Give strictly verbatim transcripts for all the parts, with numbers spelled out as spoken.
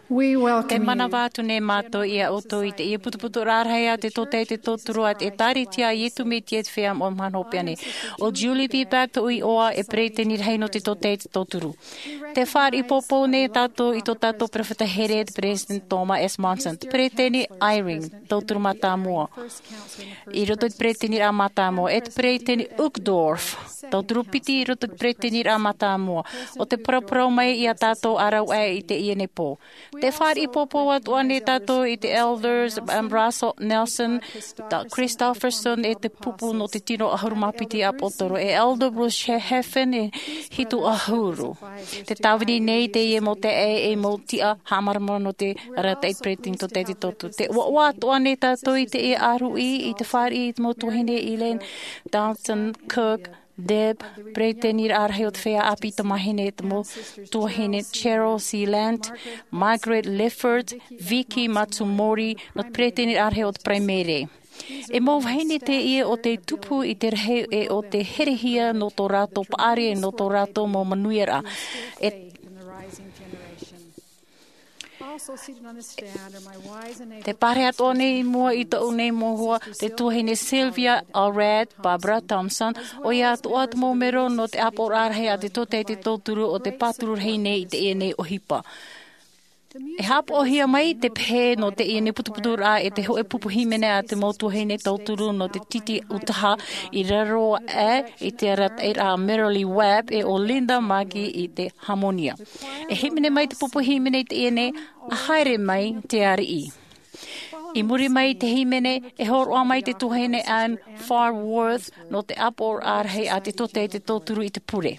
Te manava atu nei mātou ia ʻoutou i teie putuputu rarahi a te tōtaiete tauturu a te ʻĒkālesia a Iesu Mesia i te feiā moʻa mahana hopeʻa nei. ʻO Julie B. Babb te ʻohipa e peresideni rahi nō te tōtaiete tauturu. Tē fāriʻi poupou nei tātou i tō tātou peropheta here, te Peresideni Thomas S. Monson, te Peresideni Eyring, tauturu mātāmua i roto i te peresideniraʻa mātāmua, e te Peresideni Uchtdorf, tauturu piti i roto i te peresideniraʻa mātāmua, ʻo tē paraparau mai ia tātou ʻāraʻuaʻe i teie nei pō. Tē fāriʻi poupou atu ānei tātou i te Elders, um, Russell Nelson, Doug Christofferson, e te pupu nō te tino ʻahuru mā piti ʻāpōsetolo, e Elder Bruce Hafen, e hitu ʻahuru. Tē tāvini nei teie mau taeaʻe e mau tiʻa haʻamāramarama nō te arataʻi peresideni tōtaiete tauturu. Tē ʻoaʻoa atu ānei tātou i teie ʻāruʻi i te fāriʻi i te mau tuahine Elaine Dalton Cook, Deb, peresideniraʻa rahi o te feiā ʻāpī tamāhine, te mau tuahine Cheryl C. Lant, Margaret Lifford, Vicky Matsumori, nō te peresideniraʻa rahi o te Paraimere. E mau vahine teie ʻo tē tupu i te rahi e ʻo tē herehia nō tō rātou paʻari, nō tō rātou mau manuiaraʻa. E Tē pārahi atoʻa nei i mua i tōʻu nei mau hoa, te tuahine Sylvia Allred, Barbara Thompson, ʻoia atoʻa te mau melo nō te ʻāpoʻoraʻa rahi a te tōtaiete tauturu ʻo tē pāturu rahi nei i teie nei ʻohipa. E haʻapaʻohia mai te pehe nō teie nei putuputuraʻa e te hōʻē pupu hīmene a te mau tuahine tauturu nō te titi ʻutaʻa i raro aʻe i te arataʻiraʻa a Merrilee Webb e ʻo Linda Magee i te Harmonia. E hīmene mai te pupu hīmene i teie nei, A Haere Mai te Ariʻi. I muri mai i te hīmene, e hōroʻa mai te tuahine Ann Farworth nō te ʻāpoʻoraʻa rahi a te tōtaiete tauturu i te pure.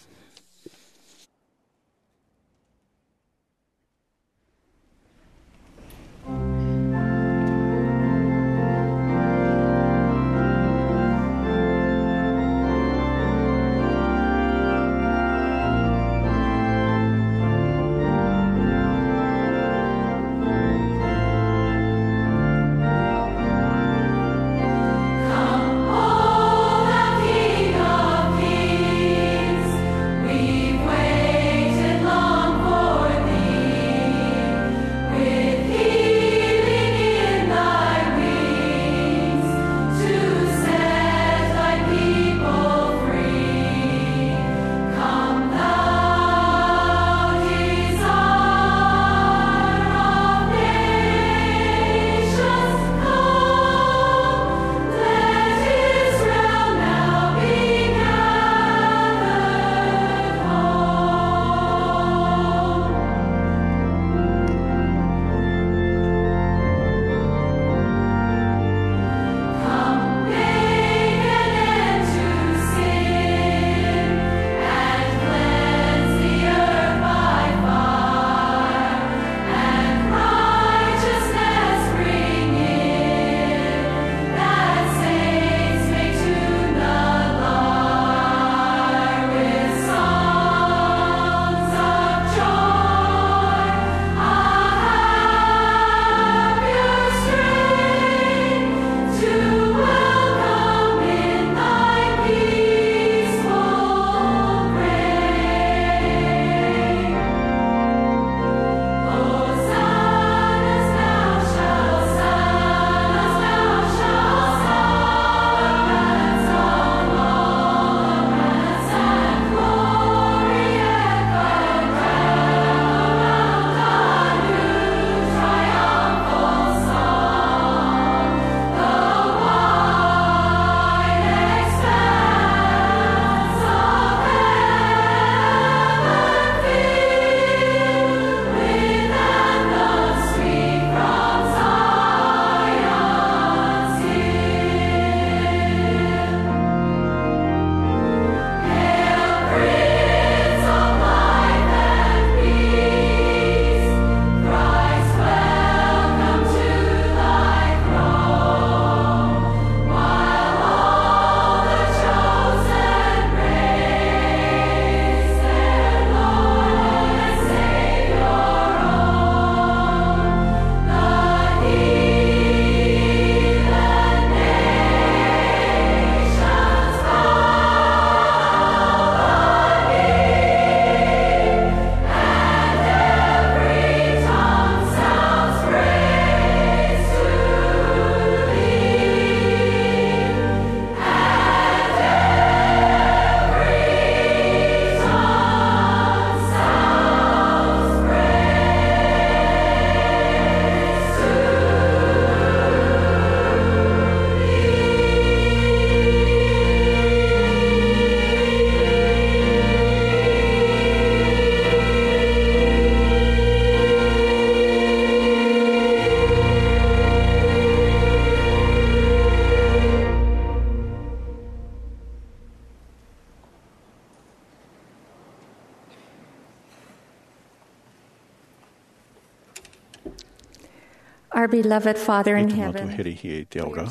Our beloved Father in heaven, here i te ao ra,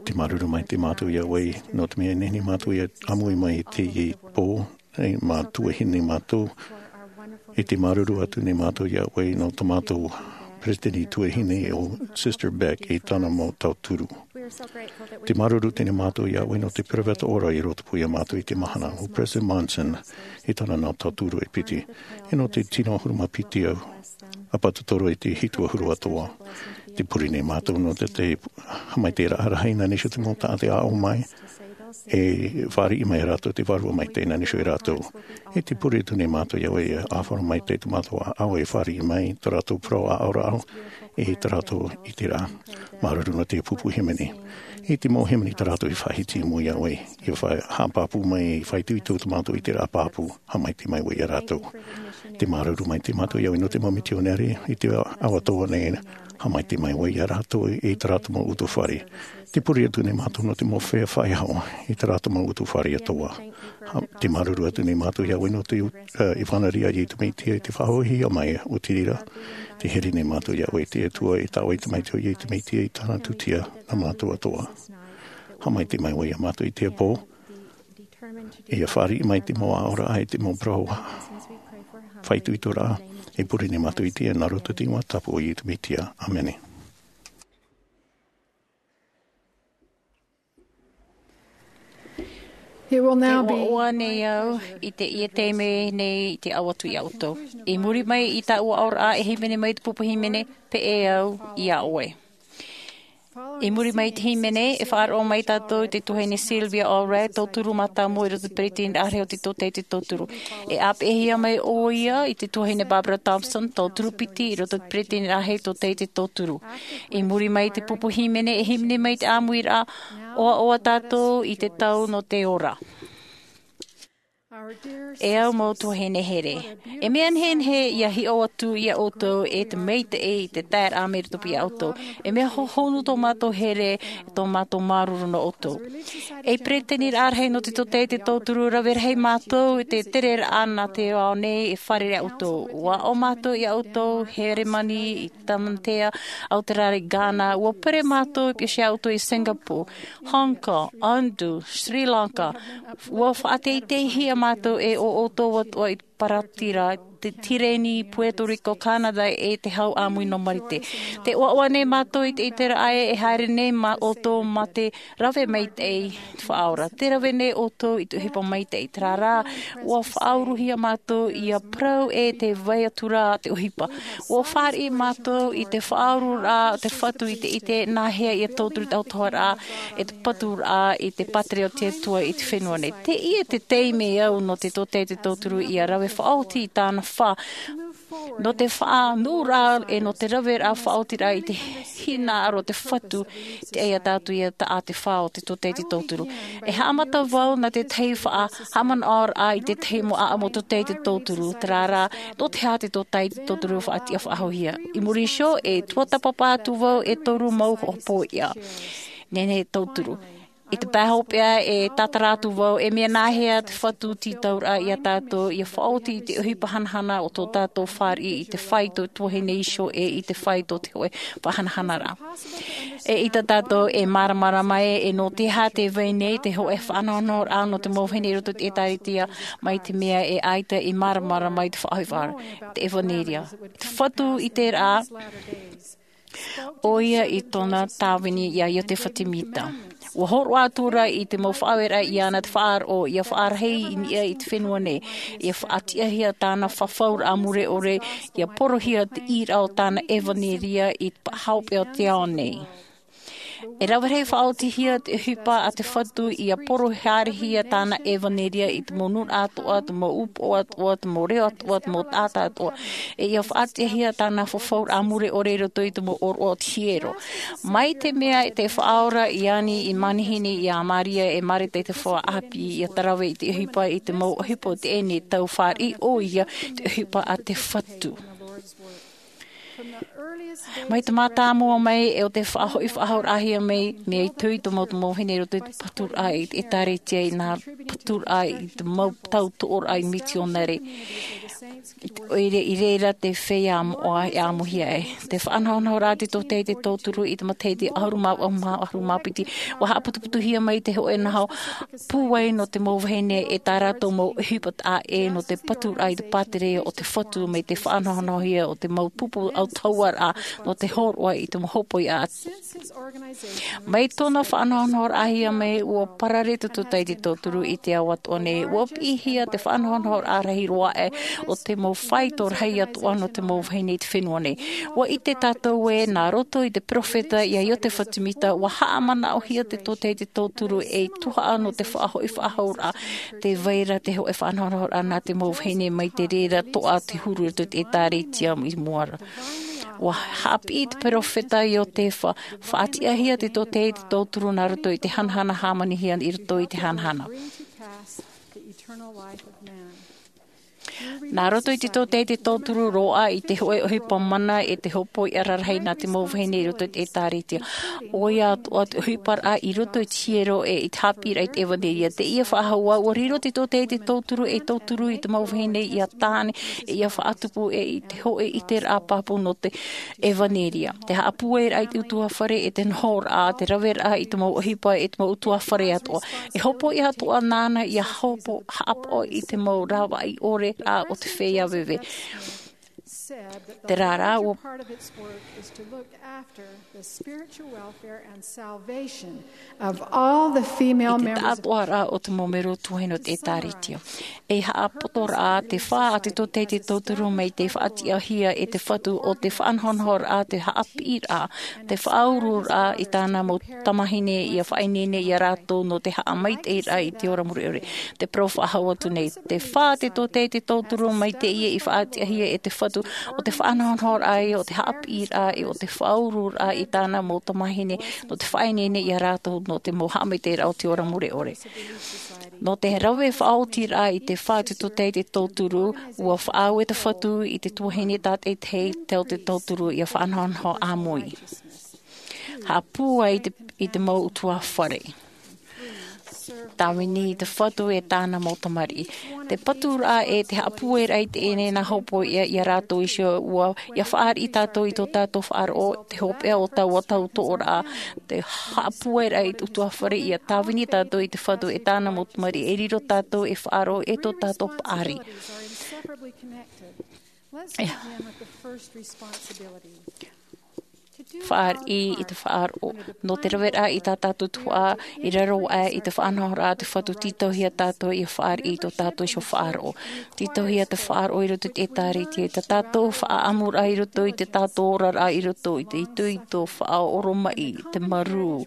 te māuruuru mai te mātou iā ʻoe nō te mea e nehenehe mātou ia ʻāmui mai i teie pō, e mā tuahine mātou. E te māuruuru atu nei mātou iā ʻoe nō tō mātou peresideni tuahine o Sister Beck i tāna mau tauturu. Te māuruuru teie nei mātou iā ʻoe nō te peropheta ora i roto pū iā mātou i te mahana o President Monson i tāna mau tauturu e piti, e nō te tino ʻahuru mā piti ʻāpōsetolo i te hitu ʻahuru atoʻa. Te pure nei mātou nō te, te haʻamaitaʻiraʻa rahi nā Iēsū te mau taʻata e aʻo mai, e fāriʻi mai rātou te Vārua Maitaʻi nā Iēsū e rātou. E te pure atu nei mātou iā ʻoe e ʻāfaro maitaʻi tō mātou ʻāʻau e fāriʻi mai tō rātou parau aʻoraʻa, e tō rātou ʻiteraʻa. Māuruuru nō te pupu hīmene. E te mau hīmene tā rātou i faʻahiti i mua iā ʻoe, i faʻa-, haʻapāpū mai, i faʻaitoito tō mātou ʻiteraʻa pāpū, haʻamaitaʻi mai ʻoe iā rātou. Te māuruuru mai te mātou iā ʻoe nō te mau mitionare i te ao atoʻa nei, haʻamaitaʻi mai ʻoe iā rātou i tā rātou mau utuafare. Te pure atu nei mātou nō te mau feiā faʻaʻeaʻe i tā rātou mau utuafare atoʻa. Ha, te māuruuru atu nei mātou iā ʻoe nō te, e, ʻevanelia a Iesu Mesia i te faʻahoʻihia mai o te reira. Te here nei mātou iā ʻoe te Atua i tā ʻoe tamaiti ʻo Iesu Mesia i tāna tūtia nā mātou atoʻa. Haʻamaitaʻi mai ʻoe iā mātou i teie pō. Ia fāriʻi mai te mau aʻoraʻa e te mau parau faʻaitoitoraʻa. E pure nei mātou i teie nā roto i te iʻoa tāpū o Iesu Mesia. ʻĀmene. It will now be. Te ʻoaʻoa nei au i teie taime nei i te ao atu iā ʻoutou. I muri mai i taua aʻoraʻa e hīmene mai te pupu hīmene, pēʻē au iā ʻoe. I muri mai i te hīmene, e faʻaroʻo mai tātou i te tuahine Sylvia Allred, tauturu mātāmua i roto i te peretiteniraʻa rahi o te tōtaiete tauturu. E ʻāpeʻehia mai ʻoia i te tuahine Barbara Thompson, tauturu piti i roto i te peretiteniraʻa rahi o te tōtaiete tauturu. I muri mai i te pupu hīmene, e hīmene mai te ʻāmuiraʻa, ʻOaʻoa tātou i te tau nō te ora. E au mau tuahine here, e mea nehenehe ia hiʻo atu iā ʻoutou e te maitaʻi i te taeraʻa mai roto pū iā ʻoutou. E mea hohonu tō mātou here, tō mātou māuruuru nō ʻoutou. Ei peretiteniraʻa rahi nō te tōtaiete tauturu, rave rahi mātou i te tereraʻa nā te ao nei e fārerei iā ʻoutou. Ua aʻo mātou iā ʻoutou, Heremani, i Tamatea, Aoterāria, Ghana, ua pere mātou i pīhaʻi iā ʻoutou i Singapore, Hong Kong, Indu, Sri Lanka. Ua faʻateiteihia mātou e ʻo ʻoutou atoʻa i Paratira, te Tireni, Puerto Rico, Canada, e te hau ʻāmui nō Marite. Tē ʻoaʻoa nei mātou i te ʻiteraʻa e haere nei mā ʻoutou mā te rave maitaʻi te Faʻaora. Tē rave nei ʻoutou i te ʻohipa maitaʻi, terā rā, ua faʻauruhia mātou ia parau e te vai atu ra te ʻohipa. Ua fāriʻi mātou i te faʻaururaʻa o te Fatu i te ʻite nāhea ia tauturu i te autahuʻaraʻa, e te paturaʻa i te pātireia o te Atua i te fenua nei. Teie te taime au nō te tōtaiete tauturu ia rave faʻaoti i tāna fā, nō te faʻanuʻuraʻa e nō te raveraʻa faʻaotiraʻa i te hinaʻaro o te Fatu, i te ʻai iā tātou ia taʻa te fā o te tōtaiete tauturu. E haʻamata vau nā te tahi faʻa-, haʻamanaʻoraʻa i te tahi mau ʻāʻamu o te tōtaiete tauturu, terā rā, nō te aha te tōtaiete tauturu faʻatiʻa faʻahouhia. I muri iho, e tuatāpapa atu vau e toru mau hopoiʻa. Nehenehe e tauturu. I te pae hopeʻa e tātara atu vau, e mea nāhea te Fatu tītauraʻa iā tātou, ia faʻaoti i te ʻohipa hanahana o tō tātou fāriʻi i te fāito tuahine iho e i te fāito te hōʻē faʻahanahanaraʻa. E ʻita tātou e māramarama e, e nō te aha tē vai nei te hōʻē faʻanahonahoraʻa nō te mau vahine i roto i te ʻĒtārētia, mai te mea e ʻaita i māramarama i te faʻaʻohipa, te ʻevanelia. Te Fatu i terā, ʻoia i tōna tāvini iā Iosepha Semita. Ua hōroʻa atu ra i te mau faʻaoreraʻa iāna te faʻaroʻo, ia faʻarahi i niʻa i te fenua nei, ia faʻatiʻahia tāna fafauraʻa mure ʻore, ia porohia te ʻīraʻa o tāna ʻevanelia i te pae hopeʻa o te ao nei. E rave rahi faʻaotihia te ʻohipa a te Fatu, ia porohia tāna ʻevanelia i te mau nūnaʻa atoʻa, te mau upoʻo atoʻa, te mau reo atoʻa, te mau taʻata atoʻa. E ia faʻatiʻahia tāna fafauraʻa mure ʻore i roto i te mau ʻōroʻa o te hiero. Mai te mea tē faʻaora iāna i manihini iā Maria e Mareta i te faufaʻa ʻāpī, ia tarave i te ʻohipa i te mau ʻohipa o teie nei tau fāriʻi ʻoia te ʻohipa a te Fatu. Mai te mātāmua mai, e o te faʻahoʻi faʻahouraʻahia mai, mea itoito mau te mau vahine i roto i te paturaʻa i te ʻētāretia, i nā paturaʻa i te mau tau toʻoraʻa i mitionare. I te ʻoire i reira te feiā moʻa e ʻāmuhia ai. Te faʻanahonahoraʻa te tōtaiete tauturu i te matahiti ʻahuru mā vaʻu mā ʻahuru mā piti, ʻua haʻaputuputuhia mai te hōʻē naho pūai nō te mau vahine e tā rātou mau ʻohipa taʻa ʻē nō te paturaʻa i te pātireia o te Fatu mai te faʻanahonahohia o te mau pupu autahuʻaraʻa nō te hōroʻa i te mau hōpoiʻa. Mai tōna faʻanahonahoraʻahia mai, ʻua parare te tōtaiete tauturu i te ao atoʻa nei, ʻua piʻihia te faʻanahonahoraʻa rahi roa aʻe o te mau faito rahi atoʻa nō te mau vahine i te fenua nei. ʻUa ʻite tātou ē, nā roto i te peropheta ia Iotefa Semita, ʻua haʻamanaʻohia te tōtaiete tauturu ei tuhaʻa nō te faʻahoʻi faʻahouraʻa, tē vai ra te hōʻē faʻanahonahoraʻa nā te mau vahine mai te reira toʻa te huru i roto i te ʻētāretia i mua ra. ʻUa haʻapiʻi te peropheta Iotefa, faʻatiʻahia te tōtaiete tauturu nā roto i te hanahana hāmanihia i roto i te hanahana. Nā roto i te tōtaiete tauturu roaʻa i te hōʻē ʻohipa mana e te hōpoiʻa rarahi nā te mau vahine i roto i te ʻētāretia. ʻOia atoʻa te ʻohiparaʻa i roto i te hiero e i te haʻapiʻiraʻa i te ʻevanelia. Teie faʻahou ā, ʻua riro te tōtaiete tauturu ei tauturu i te mau vahine ia tāne, e ia faʻatupu e i te hōʻē ʻiteraʻa pāpū nō te ʻevanelia. Te haʻapūairaʻa i te ʻutuāfare e te nohoraʻa, te raveraʻa i te mau ʻohipa e te mau ʻutuāfare atoʻa. E hōpoiʻa atoʻa nāna ia hōpoiʻa haʻapaʻo i te mau rāveʻa ʻore rā o te feiā veve. Terā rā, ʻua the spiritual welfare and salvation of all the female members. I te taʻatoʻaraʻa o te mau mero tuahine o te ʻētāretia. E haʻapotoraʻa te fā a te tōtaiete tauturu mai te faʻatiʻahia e te Fatu o te faʻanahonahoraʻa, te haʻapiʻiraʻa, te faʻauruuraʻa i tāna mau tamāhine ia faʻaineine ia rātou nō te haʻamaitaʻiraʻa i te ora mure ʻore. Te parau faʻahou atu nei, te fā a te tōtaiete tauturu mai teie i faʻatiʻahia e te Fatu o te faʻanahonahoraʻa, o te haʻapiʻiraʻa, e o te faʻauruuraʻa i tāna mau tamāhine nō te faʻaineine ia rātou nō te mau haʻamaitaʻiraʻa o te ora mure ʻore. Nō te rave faʻaotiraʻa i te fā a te tōtaiete tauturu, ʻua faʻaue te Fatu i te tuahine tātaʻitahi tei te tauturu ia faʻanahonaho ʻāmui. Haʻapūai i te, i te mau ʻutuāfare. Tāvini i te Fatu e tāna mau tamariʻi. Te paturaʻa e te haʻapūairaʻa i teie nei nā hōpoiʻa ia rātou iho, ʻua, ia fāriʻi tātou i tō tātou faʻaroʻo, te hopeʻa o taua tau toʻoraʻa, te haʻapūairaʻa i te ʻutuāfare, ia tāvini tātou i te Fatu e tāna mau tamariʻi, e riro tātou e faʻaroʻo e tō tātou paʻari. Let's begin with the first responsibility. Fāriʻi i te faʻaroʻo. Nō te raveraʻa i tā tātou tuhaʻa, i raro aʻe i te faʻanahoraʻa a te Fatu, tītauhia tātou ia fāriʻi i tō tātou iho faʻaroʻo. Tītauhia te faʻaroʻo i roto i te ʻētāretia, i tā tātou faʻaʻamuraʻa i roto i tō tātou oraraʻa, i roto i te itoito, faʻaoromaʻi, te marū,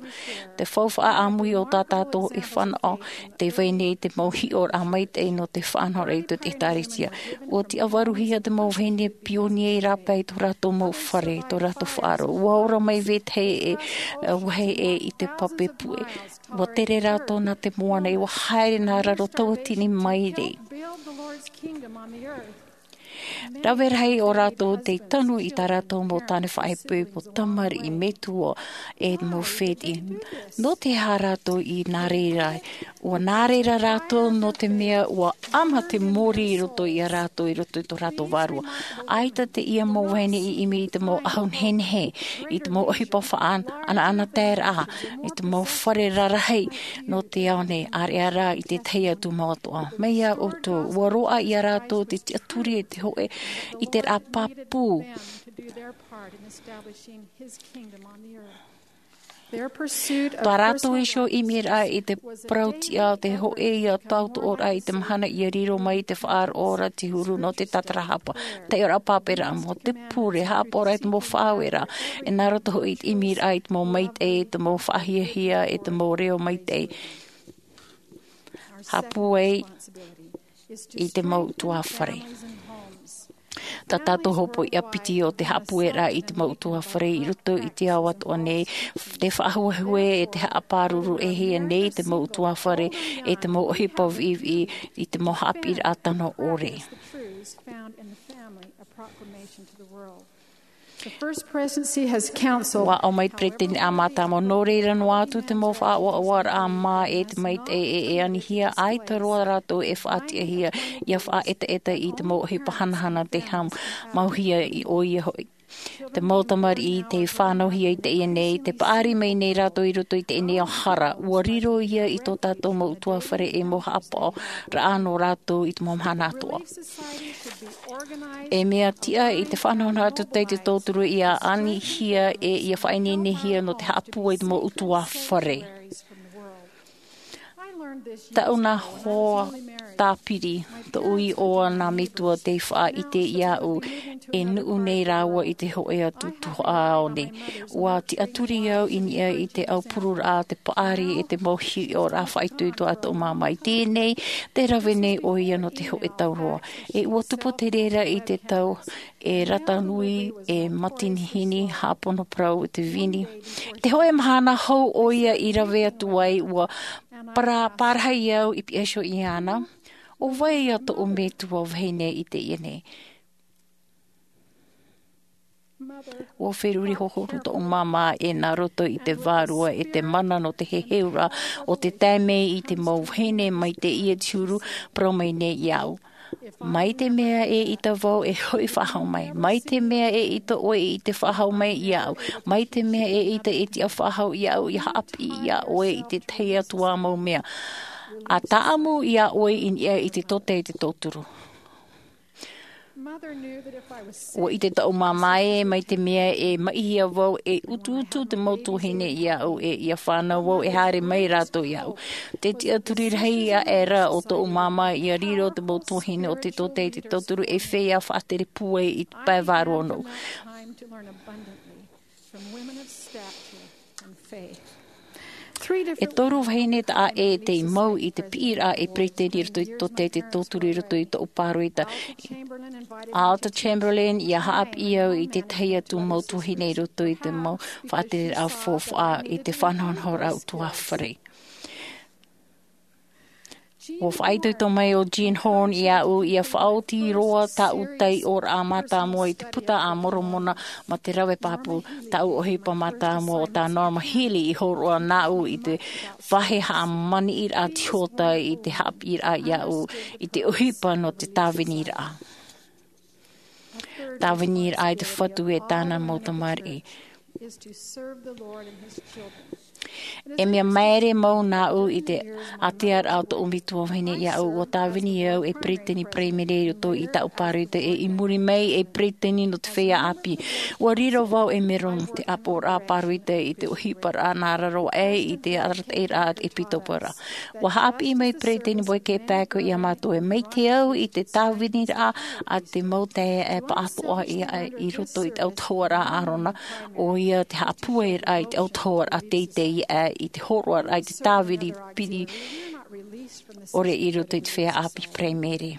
te faufaʻa ʻāmui o tā tātou e fānaʻo, tē vai nei te mau hiʻoraʻa maitaʻi nō te faʻanahoraʻa i roto i te ʻētāretia. ʻUa tiʻavaruhia te mau vahine pionie i rāpae i tō rātou mau fare, tō rātou faʻaroʻo. ʻUa ora mai vetahi e, e, vāhi ʻē i te pape puʻe. ʻUa tere rātou nā te moana, ʻua haere nā raro tauatini maere. Rave rahi ʻo rātou tei tanu i tā rātou mau tāne faʻaipoipo, tamariʻi, metua, e mau fētiʻi. Nō te aha rātou i nā reira? ʻUa nā reira rātou nō te mea ʻua ʻama te mōrī i roto ia rātou, i roto i tō rātou vārua. ʻAita teie mau vahine i ʻimi i te mau ʻahu nehenehe, i te mau ʻohipa faʻanahonahoraʻa, i te mau fare rarahi nō te ao nei, ʻāreʻa rā i te tahi atu mau atoʻa. Mai iā ʻoutou, ʻua roaʻa ia rātou te tiʻaturi e te hōʻē ʻiteraʻa pāpū. Their pursuit of Tā rātou personal iho ʻimiraʻa i te parau-tiʻa, te hōʻē ia tautoʻoraʻa i te mahana ʻia riro mai te faʻaroʻo ra te huru nō te tatarahapa, taiʻoraʻa pāpūraʻa, mō te pure, haʻapaʻoraʻa i te mau faʻaueraʻa, e nā roto hoʻi i te ʻimiraʻa i te mau maitaʻi, i te mau faʻahiahia, e te mau reo maitaʻi. Haʻapūai i te mau ʻutuāfare. Tā tātou hōpoiʻa piti o te haʻapūairaʻa i te mau ʻutuāfare i roto i te ao atoʻa nei, te faʻahuehue e te haʻapāruru-ʻē-hia nei te mau ʻutuāfare, e te mau ʻohipa viʻiviʻi i te mau haʻapiʻiraʻa tano ʻore. The truths found in the family, a proclamation to the world. The First Presidency has counseled. Ua ʻau mai te peretiteni a mātāmua, nō reira noa atu te mau faʻaʻoaʻoaraʻa mā e te maitaʻi e e anihia, ʻaita roa rātou e faʻatiʻahia, ʻia faʻaetaeta i te mau ʻohipa hanahana te hau, mauhia i ʻoia hoʻi. Te mau tamariʻi tei fānauhia i teie nei, tei paʻari mai nei rātou i roto i teie nei ao hara, ua riro ia i tō tātou mau ʻutuāfare e mau haʻapaʻoraʻa nō rātou i te mau mahana atoʻa. E mea tiʻa i te faʻanahonahoraʻa tōtaiti tōturu ʻia anihia e ʻia faʻaineinehia nō te haʻapūai i te mau ʻutuāfare. Taʻu nā hoa tāpiri, tōʻu iʻoa nā metua tei faʻaʻite iāʻu e nuʻu nei rāua i te hōʻē atu tuhaʻa ao nei. Ua tiʻaturi au i niʻa i te aupururaʻa, te paʻari e te mau hiʻoraʻa faʻaitoito a tōʻu māmā. I teie nei, tē rave nei ʻoia nō te hōʻē tau roa. E ua tupu te reira i te tau e rata nui, e matinihini, haʻapono parau i te vini. I te hōʻē mahana hou ʻoia i rave atu ai, ua para-, parahi au i piha iho iāna, ʻo vai ïa tōʻu metua vahine i teie nei? Ua feruri hohonu tōʻu māmā e nā roto i te vārua e te mana nō te heheuraʻa o te tae mai i te mau vahine mai teie te huru, parau mai nei iāʻu. Mai te mea e ʻita vau e hoʻi faʻahou mai. Mai te mea e ʻita ʻoe i te faʻahou mai iāʻu. Mai te mea e ʻita e tiʻa faʻahou iāʻu ʻia haʻapiʻi iā ʻoe i te tahi atu ā mau mea. ʻA tāʻamu iā ʻoe i niʻa i te tōtaiti tōturu. Ua ʻite tōʻu māmā ē, mai te mea e maʻihia vau e utuutu te mau tuahine iāʻu e ʻia fānau vau e haere mai rātou iāʻu. Te tiʻaturi rahi aʻera o tōʻu māmā ʻia riro te mau tuahine o te tōtaiti tōturu e feiā faʻatere pūai i te pae vārua nō. From women of stature and faith. Three different E toru vahine taʻa ʻē tei mau i te piʻiraʻa e peretiteni i roto i te tōtaiti tōturu i roto i tōʻu pāroita. Alta Chamberlain invited me to Alta Chamberlain, ʻia haʻapiʻi au i te tahi atu mau tuahine i roto i te mau faʻatereraʻa faufaʻa i te faʻanahonahoraʻa ʻutuāfare. Ua faʻaitoito mai ʻo Jean Horn iāʻu ʻia faʻaoti roa tāʻu taiʻoraʻa mātāmua i te Puta a Moromona mā te rave pāpū, tāʻu ʻohipa mātāmua ʻo tā Norma Healy i hōroʻa nāʻu i te vāhi haʻamaniʻiraʻa tihota i te haʻapiʻiraʻa iāʻu i te ʻohipa nō te tāviniraʻa. Tāviniraʻa i te Fatu e tāna mau tamariʻi. E mea maere mau nāʻu i te ātearaʻa o tōʻu metua vahine iāʻu. Ua tāvini au e peretiteni paraimere i roto i tāʻu pāroita, e i muri mai e peretiteni nō te feiā ʻāpī. Ua riro vau e mero nō te ʻāpoʻoraʻa pāroita i te ʻohiparaʻa nā raro aʻe i te arataʻiraʻa ʻepitoporaʻa. Ua haʻapiʻi mai peretiteni Boyd K. Packer iā mātou ē, mai te au i te tāviniraʻa a te mau taeaʻe pāʻātoʻa i roto i te autahuʻaraʻa a ʻĀrona, ʻoia te haʻapūairaʻa i te autahuʻaraʻa teitei aʻe i te hōroʻaraʻa i te tāvini piri ʻore i roto i te feiā ʻāpī paraimere.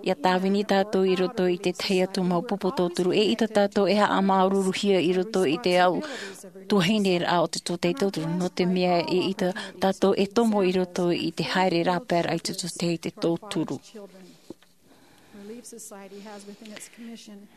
ʻIa tāvini tātou i roto i te tahi atu mau pupu tōturu, eʻita tātou e haʻamāuruuruhia i roto i te au tuahineraʻa o te tōtaiti tōturu, nō te mea eʻita tātou e tomo i roto i te haere rāpaeraʻa i te tōtaiti tōturu. Relief Society has within its commission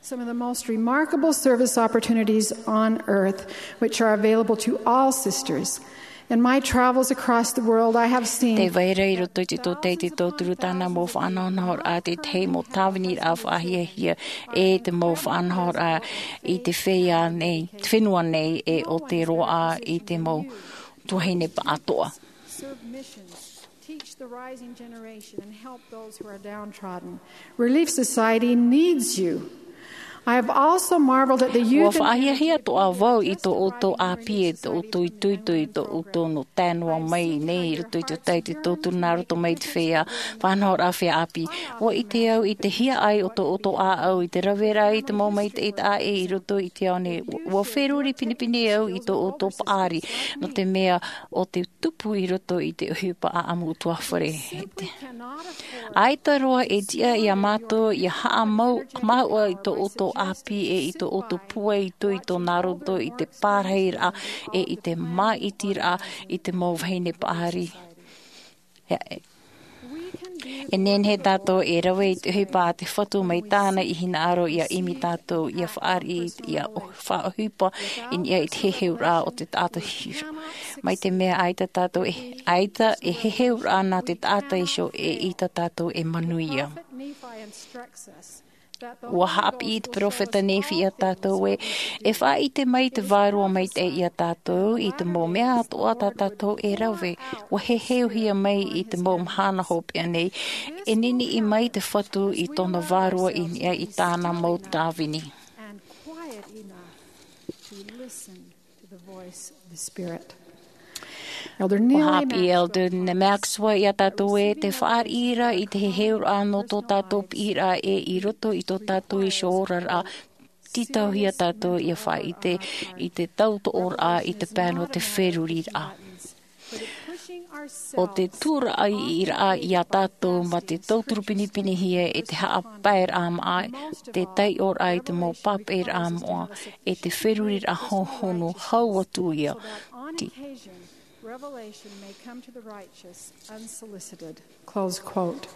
some of the most remarkable service opportunities on earth, which are available to all sisters. In my travels across the world, I have seen Tē vai ra i roto i te tōtaiti tōturu tāna mau faʻanahonahoraʻa te tahi mau tāviniraʻa faʻahiahia, e te mau faʻanahoraʻa i te feiā nei, te fenua nei, e ʻo te roaʻa i te mau tuahine pāʻātoʻa. Serve missions, teach the rising generation, and help those who are downtrodden. Relief Society needs you. I have also marveled at the Ua youth and faʻahiahia atoʻa vau i tō ʻoutou ʻāpī, e tō ʻoutou itoito, i tō ʻoutou nō tae noa mai nei i roto i te tōtaiti tōturu nā roto mai te feiā faʻanahoraʻa feiā ʻāpī. Ua ʻite au i te hiaʻai o tō ʻoutou ʻāʻau, i te raveraʻa i te mau maitaʻi taʻa ʻē i roto i te ao nei. Ua, ua feruri pinepine au i tō ʻoutou paʻari, nō te mea ʻo te tupu i roto i te ʻohipa ʻāʻamu ʻutuāfare. ʻAita roa e tiʻa iā mātou ʻia haʻamau-, māuʻa i tō ʻoutou ʻāpī e i tō ʻoutou pūai itoito nā roto i te pārahiraʻa e i te māʻitiraʻa i te mau vahine paʻari. E, e. E nehenehe tātou e rave i te ʻohipa a te Fatu mai tāna i hinaʻaro ʻia ʻimi tātou, ʻia fāriʻi, ʻia ʻo-, faʻaʻohipa i niʻa i te heheuraʻa o te taʻata iho. Mai te mea ʻaita tātou e, ʻaita e heheuraʻa nā te taʻata iho, eʻita tātou e manuia. ʻUa haʻapiʻi te peropheta Nephi iā tātou ē, e faʻaʻite mai te Vārua Maitaʻi iā tātou i te mau mea atoʻa tā tātou e rave. ʻUa heheuhia mai i te mau mahana hopeʻa nei, e niniʻi mai te Fatu i tōna Vārua i niʻa i tāna mau tāvini. And quiet enough to listen to the voice of the Spirit. Elder Neil A. Haʻapiʻi Elder Neil A. Maxwell iā tātou ē, te fāriʻi ra i te heheuraʻa nō tō tātou piʻiraʻa ē i roto i tō tātou iho oraraʻa, tītauhia tātou ʻia faʻaʻite i te tautoʻoraʻa i te pae nō te feruriraʻa. ʻO te tūraʻiraʻa iā tātou mā te tauturu pinepinehia e te haʻapaeraʻa māʻa, te taiʻoraʻa i te mau pāpaʻiraʻa moʻa, e te feruriraʻa hōhonu hau atu ia. Ti- Revelation may come to the righteous unsolicited. Close quote.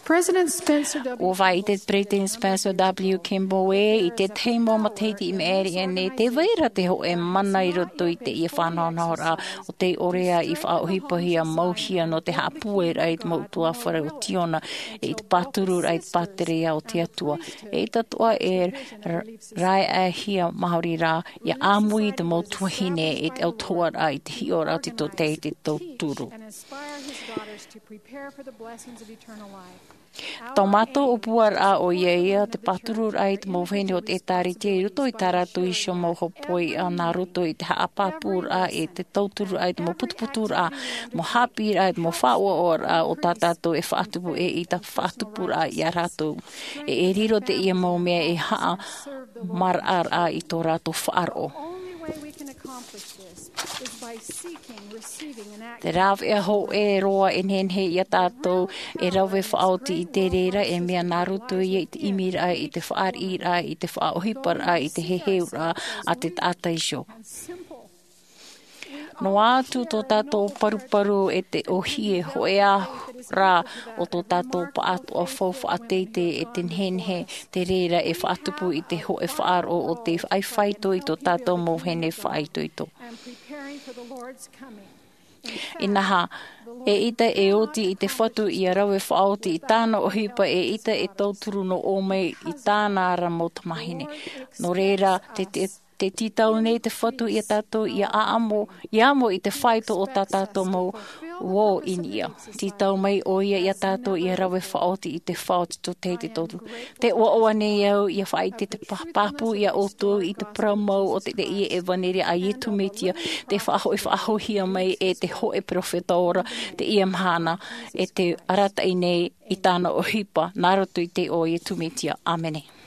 President Spencer W. ʻUa faʻaʻite te Peresideni Spencer W. Kimball ē, i te tahi mau matahiti i maʻiri aʻe nei, tē vai ra te hōʻē mana i roto i teie faʻanahonahoraʻa, ʻo tei ʻore ā i faʻaʻohipahia mau hia nō te haʻapūairaʻa i te mau ʻutuāfare o Ziona, e i te pātururaʻa i te pātireia o te Atua. E ʻaita atoʻa e ra-, raeʻahia maori rā, ʻia ʻāmui i te mau tuahine e te autahuʻaraʻa i te hiʻoraʻa o te tōtaiete tauturu. And inspire his daughters to prepare for the blessings of eternal life. Tō mātou ʻōpuaraʻa ʻoia ia te pātururaʻa i te mau vahine o te ʻĒtārētia i roto i tā rātou iho mau hōpoiʻa nā roto i te haʻapāpūraʻa e te tauturu i te mau putuputuraʻa, mau haʻapiʻiraʻa, e te mau faʻaʻoaʻoaraʻa o tā tātou e faʻatupu, e i tā faʻatupuraʻa iā rātou. E, e riro teie mau mea ei haʻamaraʻaraʻa i tō rātou faʻaroʻo. Only way we can accomplish this is by seeking, receiving, and acting. Te rāveʻa hōʻē roa e nehenehe iā tātou e rave faʻaoti i te reira, e mea nā roto ia i te ʻimiraʻa, i te fāriʻiraʻa, i te faʻaʻohiparaʻa, i te heheuraʻa a te taʻata iho. Noa atu tō tātou paruparu e te ʻōhie hōʻē ā rā o tō tātou pāʻātoʻa faufaʻa teitei e te nehenehe te reira e faʻatupu i te hōʻē faʻaroʻo o te ʻaifāito i tō tātou mau vahine faʻaitoito. Inaha, eʻita e oti i te Fatu ʻia rave faʻaoti i tāna ʻohipa, eʻita e tauturu noa mai i tāna ra mau tamāhine. Nō reira, te, te, te tītau nei te Fatu iā tātou ʻia ʻāʻamo, ʻia amo i te faito o tā tātou mau uō i niʻa. Tītau mai ʻoia iā tātou ʻia rave faʻaoti i te fā o te tōtaiete tauturu. Tē ʻoaʻoa nei au ʻia faʻaʻite te pā-, pāpū iā ʻoutou i te parau mau o te, teie ʻevanelia a Iesu Mesia, tē faʻahoʻi-, faʻahoʻihia mai e te hōʻē peropheta ora teie mahana, e tē arataʻi nei i tāna ʻohipa, nā roto i te iʻoa o Iesu Mesia. ʻĀmene.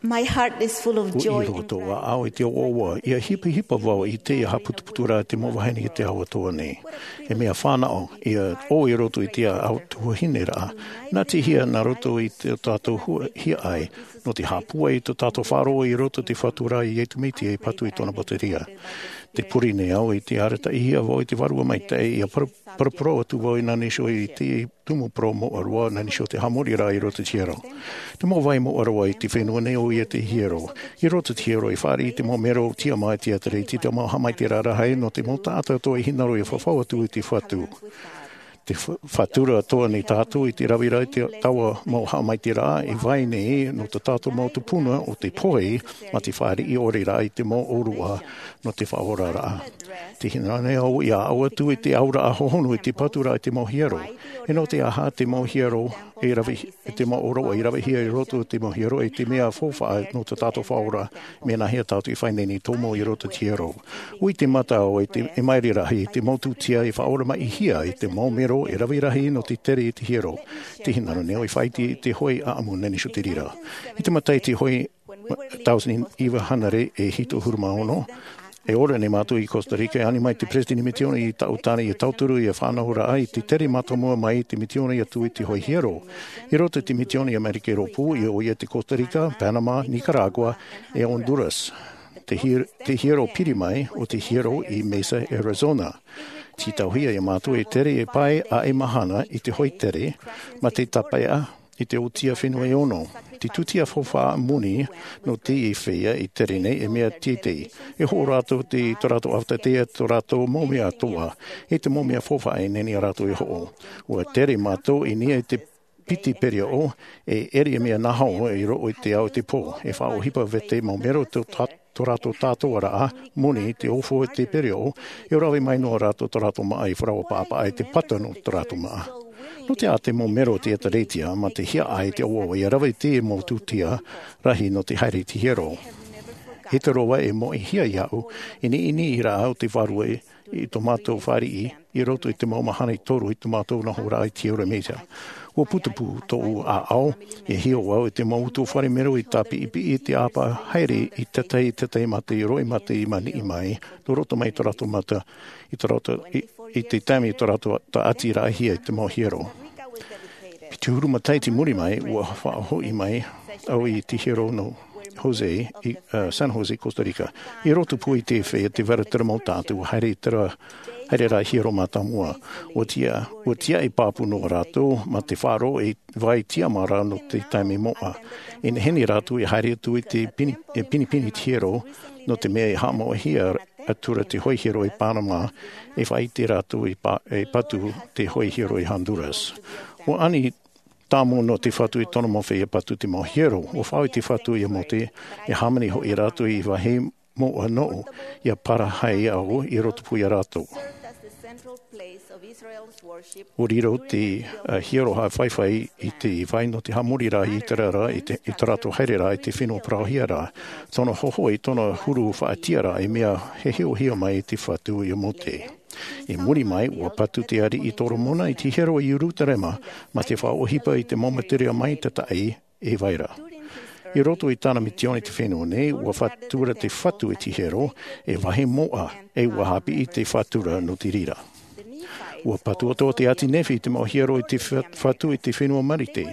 My heart is full of joy. Ua ʻī roa tōʻu ʻāʻau i te ʻoaʻoa, ʻia hipahipa vau i te haʻaputuputu ra te mau vahine i te ao atoʻa nei. E mea fānaʻo, ʻia ʻō i roto i te ao tuahine ra, nā te hia nā roto i tō tātou hua-, hiaʻai, nō te haʻapūai i tō tātou faʻaroʻo i roto i te Fatu ra, Iesu Mesia, e patu i tōna pātireia. Tē pure nei au i te arataʻihia vau i te Vārua Maitaʻi, ʻia para-, paraparau atu vau i nā niʻa iho i te tumu parau moʻa roa, nā niʻa iho i te haʻamori ra i roto i te hiero. Te mau vai moʻa roa i te fenua nei ʻoia te hiero. I roto i te hiero e fāriʻi te mau mero tiʻamā i te ʻĒtārētia, te mau haʻamaitaʻiraʻa rahi nō te mau taʻata atoʻa e hinaʻaro ʻia fafau atu i te Fatu. Te fa-, Fatu ra atoʻa nei tātou i te rave ra i te taua mau haʻamaitaʻiraʻa e vai nei nō tā tātou mau tupuna ʻo te pohe, mā te fāriʻi ʻore ra i te mau ʻōroʻa nō te faʻaoraraʻa. Tē hinaʻaro nei au ʻia ʻaʻau atu i te auraʻa hohonu i te patu ra i te mau hiero. E nō te aha te mau hiero e rave, te mau ʻōroʻa i ravehia i roto i te mau hiero, e te mea faufaʻa nō tā tātou faʻaora, mea nāhea tātou e fai nei nei tōmau i roto i te hiero. ʻUa ʻite mata au i te, e maere rahi, te mau tūtia e faʻaoramaʻihia i te mau mero e rave rahi nō te tere i te hiero. Tē hinaʻaro nei au ʻia faʻaʻite i te hoʻi ʻāʻamu nā niʻa iho i te reira. I te matahiti hoʻi tauatini iva hānere e hitu ʻahuru mā ono, e ora nei mātou i Costa Rica, e ani mai te peresideni misiōna i taʻu tāne ʻia tauturu ʻia fānauraʻa i te tere mātāmua mai i te misiōna atu i te hoʻi hiero. I roto i te misiōna i Amerika i Rōpū, ʻoia hoʻi te Costa Rica, Panama, Nicaragua, e Honduras. Te hi-, te hiero piri mai, ʻo te hiero i Mesa, Arizona. Tītauhia e mātou e tere e pae ʻa e mahana i te hoʻi tere, mā te tāpeʻa i te ʻōtia fenua e ono. Te tūtia faufaʻa moni nō teie feiā i tere nei e mea teitei. E hoʻo rātou i tō rātou ʻāvaʻe, tō rātou mau mea atoʻa, e te mau mea faufaʻa e nehenehe rātou e hoʻo. ʻUa tere mātou i niʻa i te piti perioʻo, e ʻere e mea naho i roʻo i te ao i te pō. E faʻaʻohipa vau i te mau mero tō tā-, tō rātou tātauaraʻa moni i te ʻōfua i te perioʻo, e rave mai noa rātou tō rātou māʻa i faraoa paʻapaʻa i te pata nō tō rātou māʻa. Nō te aha te mau mero o te ʻĒtārētia mā te hiaʻai i te ʻoaʻoa ʻia rave i te mau tūtia rahi nō te haere i te hiero. E te roa e moʻehia iāʻu, i niʻa i te rāʻau te Vārua i, i tō mātou fāriʻi, i roto i te mau mahana e toru i tō mātou nohoraʻa i te hiero e Mesa. ʻUa putupū tōʻu ʻāʻau, e hiʻo au i te mau utuafare mero i tāpiʻipiʻi i te ʻāpā haere i tētahi, tētahi mā te roʻi mā te maniʻi mai, nō roto mai tō rātou mata, i tō rātou, i, i te taime i tō rātou tāʻatiraʻahia i te mau hiero. Piti ʻahuru matahiti i muri mai, ʻua faʻahoʻi mai au i te hiero nō Jose, i, uh, San Jose, Costa Rica. I roto pū i te feiā, te vaira terā mau taʻata, ʻua haere terā, haere rā hiero mātāmua. ʻUa tiʻa, ʻua tiʻa e pāpū noa rātou, mā te faʻaroʻo e vai tiʻamā ra nō te taime moʻa. E nehenehe rātou e haere atu i te pini-, e pinepine i te hiero, nō te mea e haʻamauhia atu ra te hoʻi hiero i Panama, e faʻaʻite rātou e pa-, e patu te hoʻi hiero i Honduras. ʻUa ani tāmau noa te Fatu i tōna mau feiā e patu te mau hiero. ʻUa faʻaʻite te Fatu ia Mōte, e hāmani hoʻi rātou i vāhi moʻa nōʻu, ʻia parahi au i roto pū ia rātou. ʻUa riro te, uh, hiero haʻafaifai i te vai nō te haʻamori ra i ʻĪteraʻera, i te, i tō rātou haereraʻa i te fenua parauhia ra. Tōna hohoʻa, tōna huru faʻatiʻaraʻa, e mea heheuhia mai e te Fatu ia Mōte. I muri mai, ʻua patu te ariʻi Solomona i te hiero i Ierusalema, mā te faʻaʻohipa i te mau materiʻa maitaʻi e vai ra. I roto i tāna misiōna i te fenua nei, ʻua fatu ra te Fatu i te hiero, e vāhi moʻa, e ʻua haʻapiʻi te Fatu ra nō te reira. ʻUa patu atoʻa te ʻāti Nephi i te mau hiero i te Fa-, Fatu i te fenua Marite,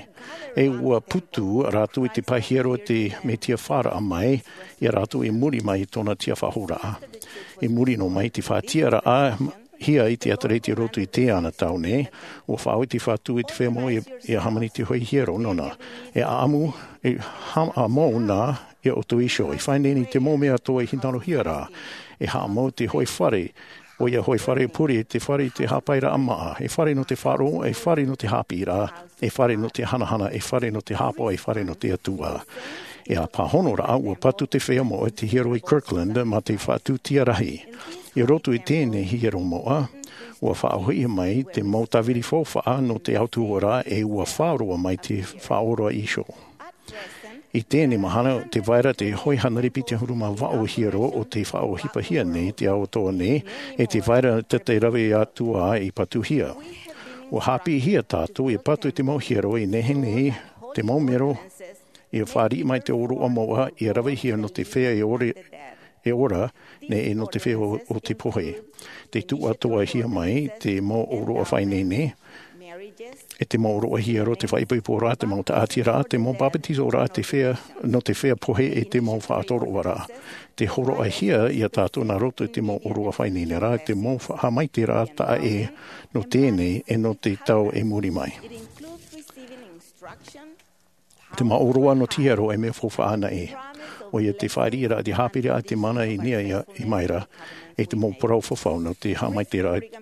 e ʻua putu rātou i te pae hiero a te Mesia fāraʻa mai ia rātou i muri mai i tōna tiʻafaʻahouraʻa. I muri noa mai i te faʻatiʻaraʻa hia i te ʻĒtārētia i roto i teie tau nei, ʻua faʻaʻite te Fatu i te feiā moʻa ʻia, ʻia hāmani te hoʻi hiero nōna. E ʻāʻamu, e haʻamau nā ia ʻoutou iho. E fai nei nei te mau mea atoʻa e hinaʻarohia ra. E haʻamau te hoʻi fare, ʻoia hoʻi fare pure, te fare i te haʻapaeraʻa māʻa, e fare nō te faʻaroʻo, e fare nō te haʻapiʻiraʻa, e fare nō te hanahana, e fare nō te haʻapaʻo, e fare nō te Atua. E ʻāpahōroraʻa, ʻua patu te feiā moʻa i te hiero i Kirtland mā te faʻatūtia rahi. I roto i teie hiero moʻa, ʻua faʻahoʻi mai te mau tāviri faufaʻa nō te autahuʻaraʻa, e ʻua faʻaroʻo mai te Faʻaora iho. I teie mahana, tē vai ra te hoʻi hānere piti ʻahuru mā vaʻu hiero o tē faʻaʻohipahia nei i te ao atoʻa nei, e tē vai ra te, te rave atu ā i patuhia. ʻUa haʻapiʻihia tātou ʻia patu i te mau hiero i nehenehe te mau mero Ia fāriʻi mai te ʻōroʻa mauʻa, ia ravehia nō te feiā e ora, e ora, nei e nō te feiā o, o te pohe. Te tuʻatoʻahia mai te mau ʻōroʻa faʻaineine, e te mau ʻōroʻa hiero, te faʻaipoiporaʻa, te mau tāʻatiraʻa, te mau papetizoraʻa, te feiā, nō te feiā pohe e te mau faʻatoroʻaraʻa. Te hōroʻahia ia tātou nā roto i te mau ʻōroʻa faʻaineine ra, te mau fa-, haʻamaitaʻiraʻa taʻa ʻē nō teie nei e nō te tau i muri mai. Te mau ʻōroʻa nō te hiero e mea faufaʻa anaʻe. ʻOia te fāriʻiraʻa, te haʻapiʻiraʻa, te mana i niʻa i, i maira, e te mau parau fafau nō te haʻamaitaʻiraʻa,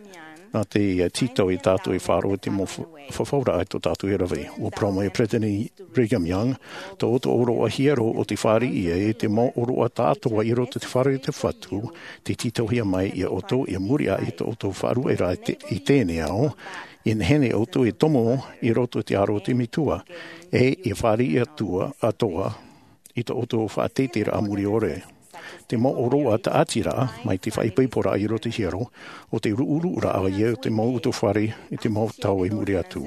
nā te, ā, tītau ia tātou e faʻaroʻo i te mau fa-, fafauraʻa i tō tātou e rave. ʻUa parau mai Peresideni Brigham Young, tō ʻoutou ʻōroʻa hiero ʻo tē fāriʻi ai i te mau ʻōroʻa tāʻātoʻa i roto i te fare o te Fatu, tē tītauhia mai ia ʻoutou, ia muri aʻe i tō ʻoutou faʻaruʻeraʻa i te, i teie nei ao, ia nehenehe ʻoutou e tomo i roto i te aro o te Metua, e ia fāriʻi atoʻa, atoʻa, i tō ʻoutou faʻateiteiraʻa muri ʻore. Te mau ʻōroʻa tāʻatiraʻa, mai te faʻaipoiporaʻa i roto i te hiero, ʻo te ruʻuruʻuraʻa ia o te mau utuafare i te mau tau i muri atu.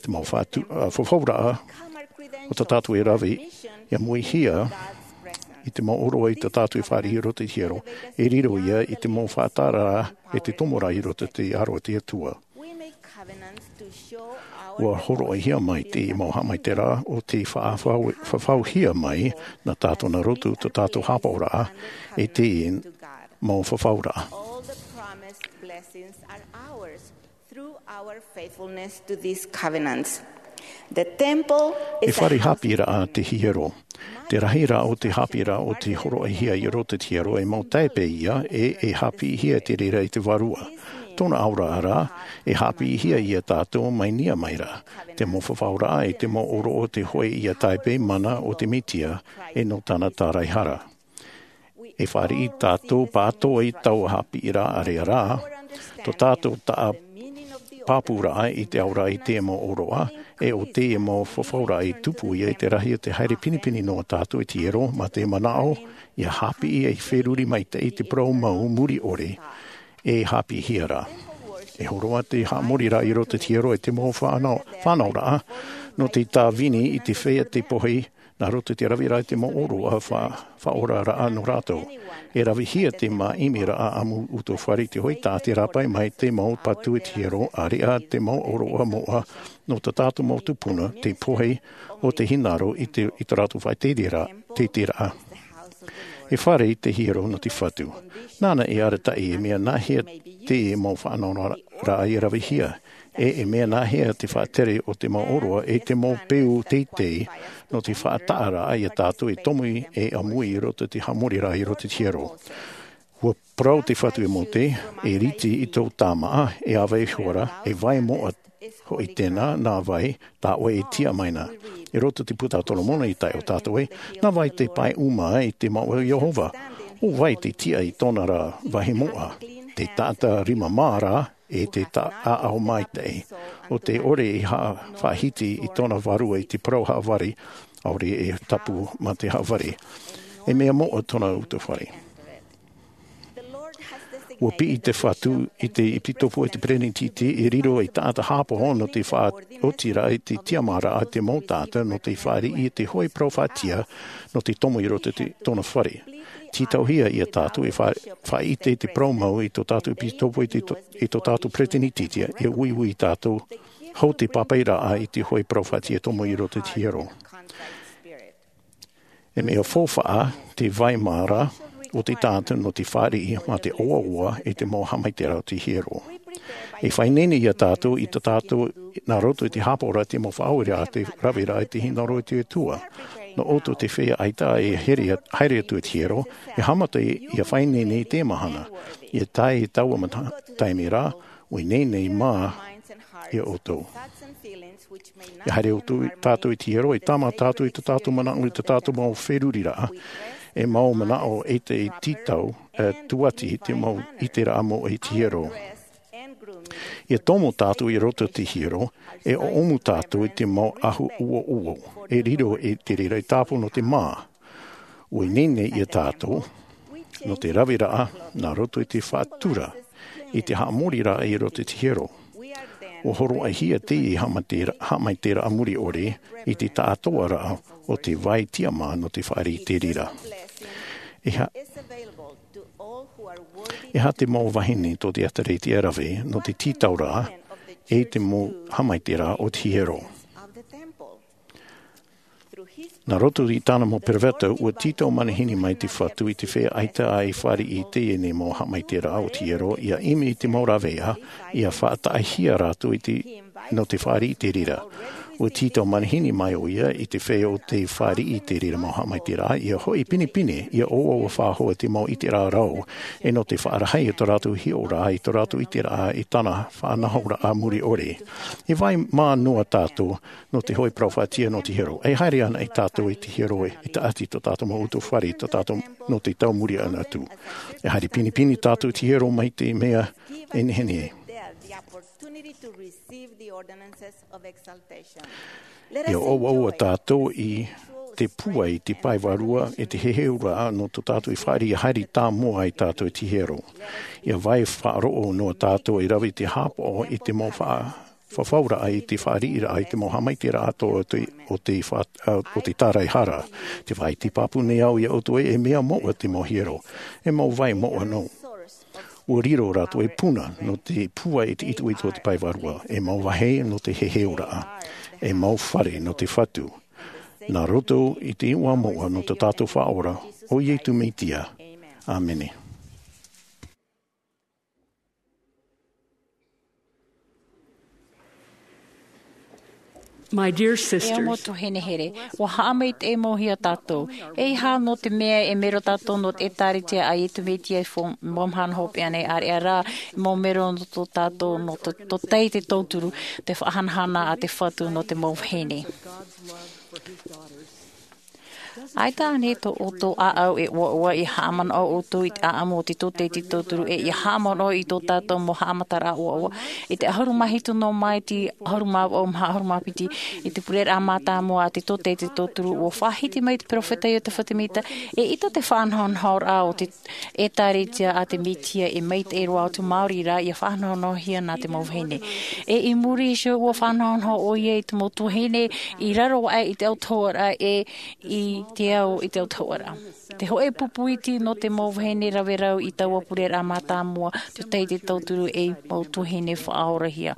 Te mau fatu-, ā, fafauraʻa o tā tātou e rave, ia amuihia i te mau ʻōroʻa i tā tātou e fāriʻi i roto i te hiero, e riro ia i te mau faʻataʻaraʻa e te tomoraʻa i roto i te aro o te Atua. ʻUa hōroʻahia mai te mau haʻamaitaʻiraʻa ʻo tē faʻafau-, fafauhia mai nā tātou nā roto i tō tātou haʻapaʻoraʻa i te mau fafauraʻa. All the promised blessings are ours through our faithfulness to these covenants. The temple is a house of E fare haʻapiʻiraʻa te hiero. Te rahiraʻa o te haʻapiʻiraʻa o tē hōroʻahia i roto i te hiero e mau tāipe ïa, e, e haʻapiʻihia i te reira i te Vārua. Tōna auraʻa ra, e haʻapiʻihia ia tātou mai niʻa mai ra. Te mau fafauraʻa e te mau ʻōroʻa o te hōʻē ïa tāipe mana o te Mesia, e nō tāna tāraʻehara. E fāriʻi tātou pātoʻi i taua haʻapiʻiraʻa ra, tō tātou taʻa pāpūraʻa i te auraʻa i te mau ʻōroʻa, e ʻo te mau fafauraʻa e tupu ïa i te rahi o te haere pinepine noa tātou i te hiero, mā te manaʻo, ʻia haʻapiʻi e feruri maitaʻi i te parau mau muri ʻore, e haʻapiʻihia ra. E hōroʻa te haʻamoriraʻa i roto i te hiero e te mau fānau, fānauraʻa, nō te tāvini i te feiā te pohe, nā roto i te raveraʻa i te mau ʻōroʻa fa-, faʻaoraraʻa nō rātou. E ravehia te māʻimiraʻa ʻamu utuafare i te hōʻē taʻata e rāpae mai te mau patu i te hiero, ʻāreʻa te mau ʻōroʻa moʻa nō tā tātou mau tupuna, te pohe o te hinaʻaro i te, i tō rātou faʻateiteiraʻa, teiteiraʻa. E fare i te hiero nō te Fatu. Nāna e arataʻi e mea nāhea te mau fānauraʻa e ravehia. E, e mea nāhea te faʻatere o te mau ʻōroʻa e te mau peu teitei nō te faʻataʻaraʻa ia tātou e tomo e ʻāmui i roto i te haʻamoriraʻa i roto i te hiero. ʻUa parau te Fatu e Mōte, e rite i tō tāmaʻa, e ʻāvae iho ra, e vai moʻa hoʻi tēnā, nā vai tā ʻoe e tiʻa mai na. I roto i te Puta a Solomona i tae ʻo tātou ē, nā vai te pae ʻuma i te mau o Iehova, ʻo vai te tiʻa i tōna ra vāhi moʻa, te taʻata rima mā ra, e te taʻaʻau maitaʻi, ʻo te ʻore e ha-, faʻahiti i tōna vārua i te parau haʻavare, ʻaore e tapu mā te haʻavare. E mea moʻa tōna utuafare. ʻUa piʻi te Fatu i te ʻepitopo e te perenitenti e riro ei taʻata haʻapaʻo nō te faʻaotiraʻa i te tiʻamāraʻa a te mau taʻata nō te fāriʻi i te hōʻē parau faʻatiʻa nō te tomo i roto i te, tōna fare. Tītauhia ia tātou e fa-, faʻaʻite i te parau mau i tō tātou ʻepitopo i te to-, i tō tātou perenitenti, e uiui tātou hou te pāpaʻiraʻa i te hōʻē parau faʻatiʻa tomo i roto i te hiero. E mea faufaʻa te vai mā ra o te taʻata nō te fāriʻi mā te ʻoaʻoa i te mau haʻamaitaʻiraʻa o te hiero. E faʻaineine ia tātou i tā tātou nā roto i te haʻapaʻoraʻa i te mau faʻaoreraʻa, te raveraʻa i te hinaʻaro i te Atua. Nō ʻoutou te feiā ʻaita e haere, haere atu i te hiero, e haʻamata ʻia faʻaineine i teie mahana. ʻIa tae i taua mana-, taime ra, ʻua ineine mā ia ʻoutou. E haere atu tātou i te hiero, e tāmā tātou i tō tātou manaʻo, i tō tātou mau feruriraʻa, e mau manaʻo e te tītau, e tūʻati i te mau ʻiteraʻa moʻa i te hiero. ʻIa tomo tātou i roto i te hiero, e ʻōʻomu tātou i te mau ʻahu ʻuoʻuo, e riro i te reira e tāpū nō te mā. ʻUa ineine ia tātou, nō te raveraʻa, nā roto i te faʻatura, i te haʻamoriraʻa i roto i te hiero. ʻUa hōroʻahia teie haʻamaitaʻiraʻa, haʻamaitaʻiraʻa muri ʻore, i te taʻatoʻaraʻa o te vai tiʻamā nō te fāriʻi i te reira. E aha, e aha te mau vahine tō te ʻĒtārētia e rave nō te tītau ra e te mau haʻamaitaʻiraʻa o te hiero? Nā roto i tāna mau peropheta, ʻua tītau manihini mai te Fatu i te feiā ʻaita ā e fāriʻi i teie nei mau haʻamaitaʻiraʻa o te hiero, ʻia ʻimi i te mau rāveʻa, ʻia faʻataʻahia rātou i te, nō te fāriʻi i te reira. ʻUa tītau manihini mai ʻoia i te feiā o te fāriʻi i te reira mau haʻamaitaʻiraʻa, ʻia hoʻi pinepine, ʻia ʻoaʻoa faʻahou te mau ʻiteraʻa rau, e nō te faʻarahi i tō rātou hiʻoraʻa, i tō rātou ʻiteraʻa, i tāna faʻanahoraʻa muri ʻore. E vai mā noa tātou nō te hoʻi peropheta nō te hiero. E haere ana tātou i te hiero e, e taʻati tō tātou mau utuafare, tō tātou nō te tau muri anaʻe atu. E haere pinepine tātou i te hiero mai te mea e nehenehe. ʻIa ʻoaʻoa tātou i te pūai, te pae vārua, e te heheuraʻa nō tō tātou e fāriʻi ʻia haere tāmau ai tātou i te hiero. ʻIa vai faʻaroʻo noa tātou e rave i te haʻapaʻo i te mau faʻa-, fafauraʻa i te fāriʻiraʻa i te mau haʻamaitaʻiraʻa atoʻa o te, o te fa-, ā, o te tāraehara. Tē vai pāpū nei au iā ʻoutou ē, e mea moʻa te mau hiero, e mau vai moʻa noa. ʻUa riro rātou ei puna nō te pūai i te itoito o te pae vārua, ei mau vāhi nō te heheuraʻa, ei mau fare nō te Fatu. Nā roto i te iʻoa moʻa nō tō tātou Faʻaora, ʻo Iesu Mesia. ʻĀmene. My dear sisters, e mau tuahine here, ʻua haʻamaitaʻi mau hia tātou. E aha nō te mea e mero tātou nō te ʻĒtārētia a Iesu Mesia i te fo-, mau mahana hopeʻa nei, ʻāreʻa rā, e mau mero nō tō tātou, nō tō, tō teie te tauturu, te faʻahanahana a te Fatu nō te mau vahine. ʻAita ānei tō ʻoutou ʻāʻau e ʻoaʻoa ʻia haʻamanaʻo ʻoutou i te ʻāʻamu o te tōtaiete tauturu, e ʻia haʻamanaʻo i tō tātou mau haʻamataraʻa ʻoaʻoa? I te ʻahuru mā hitu nō Māeti, ʻahuru mā vaʻu maha ʻahuru mā piti, i te pureraʻa mātāmua a te tōtaiete tauturu, ʻua faʻahiti mai te peropheta Iotefa Semita, eʻita te faʻanahonahoraʻa o te ʻĒtārētia a te Mesia e maitaʻi roa atu maori rā ʻia faʻanahonahohia nā te mau vahine. E i muri iho ʻua faʻanahonaho ʻoia i te mau tuahine i raro aʻe i te autahuʻaraʻa e i te ao i te autahuʻaraʻa. Te hōʻē pupu iti nō te mau vahine rave rau i taua pureraʻa mātāmua, te tōtaiete tauturu ei mau tuahine faʻaorahia.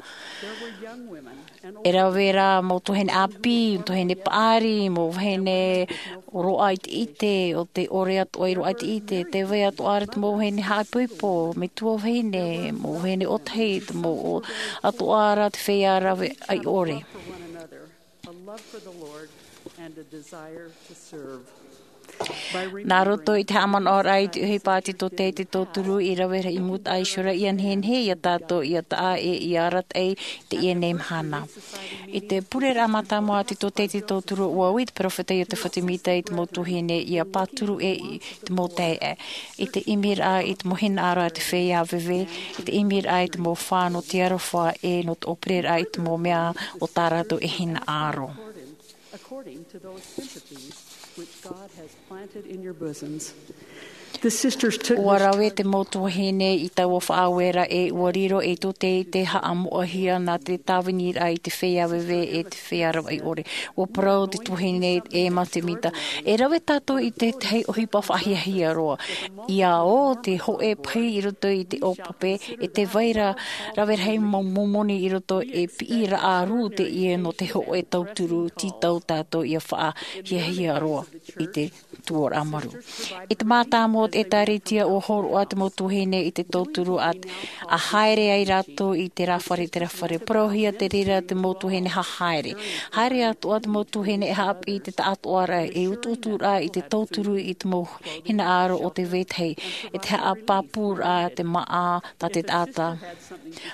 E rave rā mau tuahine ʻāpī, tuahine paʻari, mau vahine roaʻa ʻiteʻite, o te ʻore atoʻa i roaʻa ʻiteʻite, tē vai atoʻa ra te mau vahine haʻaipoipo, metua vahine, mau vahine ʻōtahi, te mau o-, atoʻa ra te feiā rave ʻaiʻore. Nā roto i te haʻamanaʻoraʻa i te ʻohipa a te tōtaiete tauturu i rave i mūtaʻa iho ra, ʻia nehenehe ia tātou ʻia taʻa e ʻia arataʻi i teie nei mahana. I te pureraʻa mātāmua a te tōtaiete tauturu, ʻua ui te peropheta Iotefa Semita i te mau tuahine ʻia pāturu ʻē i te mau taeaʻe. I te ʻimiraʻa i te mau hinaʻaro a te feiā veve, i te ʻimiraʻa i te mau fā nō te aroha ʻe nō te ʻōpereraʻa i te mau mea o tā rātou e hinaʻaro. According to those sympathies which God has planted in your bosoms. The sisters took ʻUa this rave te mau tuahine i taua faʻaueraʻa, ʻua riro ei tōtaiete haʻamoʻahia nā te tāviniraʻa i te feiā veve ʻe te feiā rave ʻaiʻore. ʻUa parau te tuahine Emma Semita, e rave tātou i te tahi ʻohipa faʻahiahia roa. ʻIa ō te hōʻē pahi i roto i te ʻōpape, e tē vai ra rave rahi mau momoni i roto, e piʻiraʻa rū teie nō te hōʻē tauturu, tītau tātou ʻia faʻahiahia roa i te tuaraʻa marū. I te mātāmua o te ʻĒtārētia, ʻua hōroʻa te mau tuahine i te tauturu a, ʻa haere ai rātou i terā fare, terā fare. Parauhia te reira te mau tuahine hahaere. Haere atoʻa te mau tuahine e haʻapiʻi i te taʻatoʻaraʻa, e utuuturaʻa i te tauturu i te mau hinaʻaro o te vetahi, e te haʻapāpūraʻa te māʻa tā te taʻata.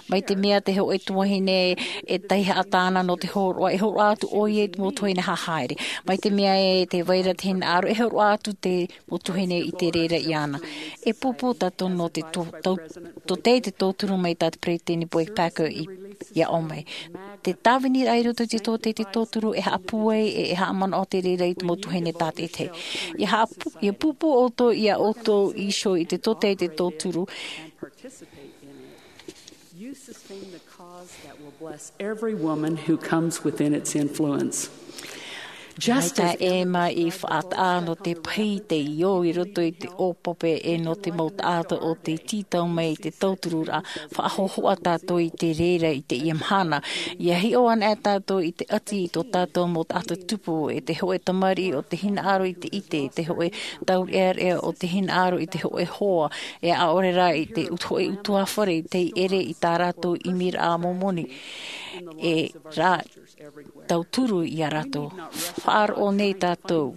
Mai te mea te hōʻē tuahine e taihaʻa tāna nō te hōroʻa, e hōroʻa atu ʻoia i te mau tuahine hahaere. Mai te mea e tē vai ra te hinaʻaro, e hōroʻa atu te mau tuahine i te reira iāna. E pūpū tātou nō te tō-, tō-, tōtaiete tauturu mai tā te peresideni Boyd Packer i, ʻia ʻō mai. Te tāviniraʻa i roto i te tōtaiete tauturu e haʻapūai ʻe, e haʻamanaʻo te reira i te mau tuahine tātaʻitahi. ʻIa haʻapū-, ʻia pūpū ʻoutou iā ʻoutou iho i te tōtaiete tauturu. You sustain the cause that will bless every woman who comes within its influence. Just as Ema i faʻataʻa nō te pahi te io i roto i te ʻōpape e nō te mau taʻata o te tītau mai i te tautururaʻa, faʻahōhoʻa tātou i te reira i teie mahana. ʻIa hiʻo ana e tātou i te ʻati i tō tātou mau taʻata tupu, e te hoʻe tamariʻi o te hinaʻaro i te ʻite, e te hoʻe taureʻareʻa o te hinaʻaro i te hoʻe hoa, e ʻaore rā i te ut-, hoʻe utuāfare i tei ʻere i tā rātou ʻimiraʻa momoni. E rā, tauturu iā rātou. Faʻaroʻo nei tātou.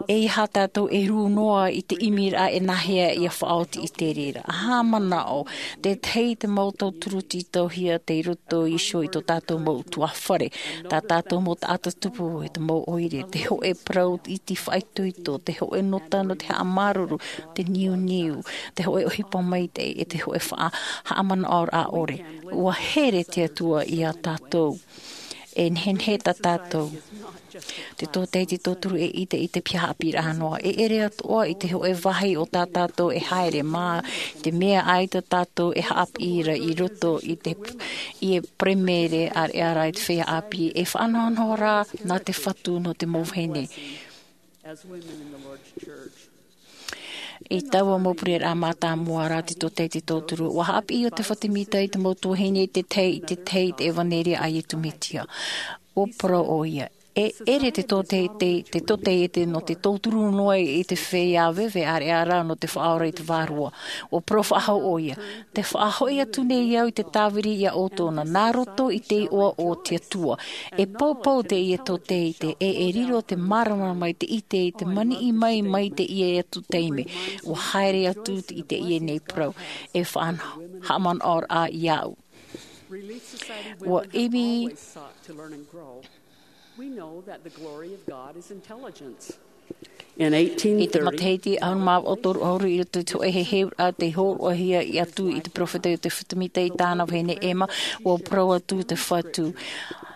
E aha tātou e rū noa i te ʻimiraʻa e nāhea ʻia faʻaoti i te reira. ʻA haʻamanaʻo, te tahi te mau tauturu tītauhia tei roto iho i tō tātou mau utuāfare. Tā tātou mau taʻata tupu, e te mau ʻoire, te hoʻe parau iti faʻaitoito, te hoʻe nota nō te haʻamāuruuru, te niuniu, te hoʻe ʻohipa maitaʻi, e te hoʻe faʻa-, haʻamanaʻoraʻa ʻore. ʻUa here te Atua iā tātou. E nehenehe tā tātou. Te tōtaiete tauturu e ʻite i te piha haʻapiʻiraʻa noa. E ʻere atoʻa i te hoʻe vāhi o tā tātou e haere mā, te mea ʻaita tātou e haʻapiʻi ra i roto i te, i e peremere ʻāreʻa ra i te feiā ʻāpī, e faʻanahonaho rā nā te Fatu nō te mau vahine. I taua mau pureraʻa mātāmua ra te tōtaiete tauturu, ʻua haʻapiʻi ʻo Tefata Mita i te mau tuahine i te tahi, i te tahi i te ʻevaneria a Iesu Mesia. ʻUa parau ʻoia, e ʻere te tōtaiete, te tōtaiete nō te tauturu noa i te feiā veve ʻāreʻa ra nō te faʻaora i te vārua. ʻUa parau faʻahou ʻoia, tē faʻahoʻi atu nei au i te tāviri iā ʻoutou nā, nā roto i te iʻoa o te Atua. E poupou teie tōtaiete, e, e riro te māramarama i te ʻite i te maniʻi mai, mai teie atu taime. ʻUa haere atu i teie nei parau, e faʻa-, haʻamanaʻoraʻa iāʻu. ʻUa ʻimi I te matahiti ʻahuru mā vaʻu toru ʻahuru i roto i te hōʻē heheuraʻa tei hōroʻahia atu i te peropheta ʻo Tefata Mita i tāna vahine Ema, ʻua parau atu te Fatu.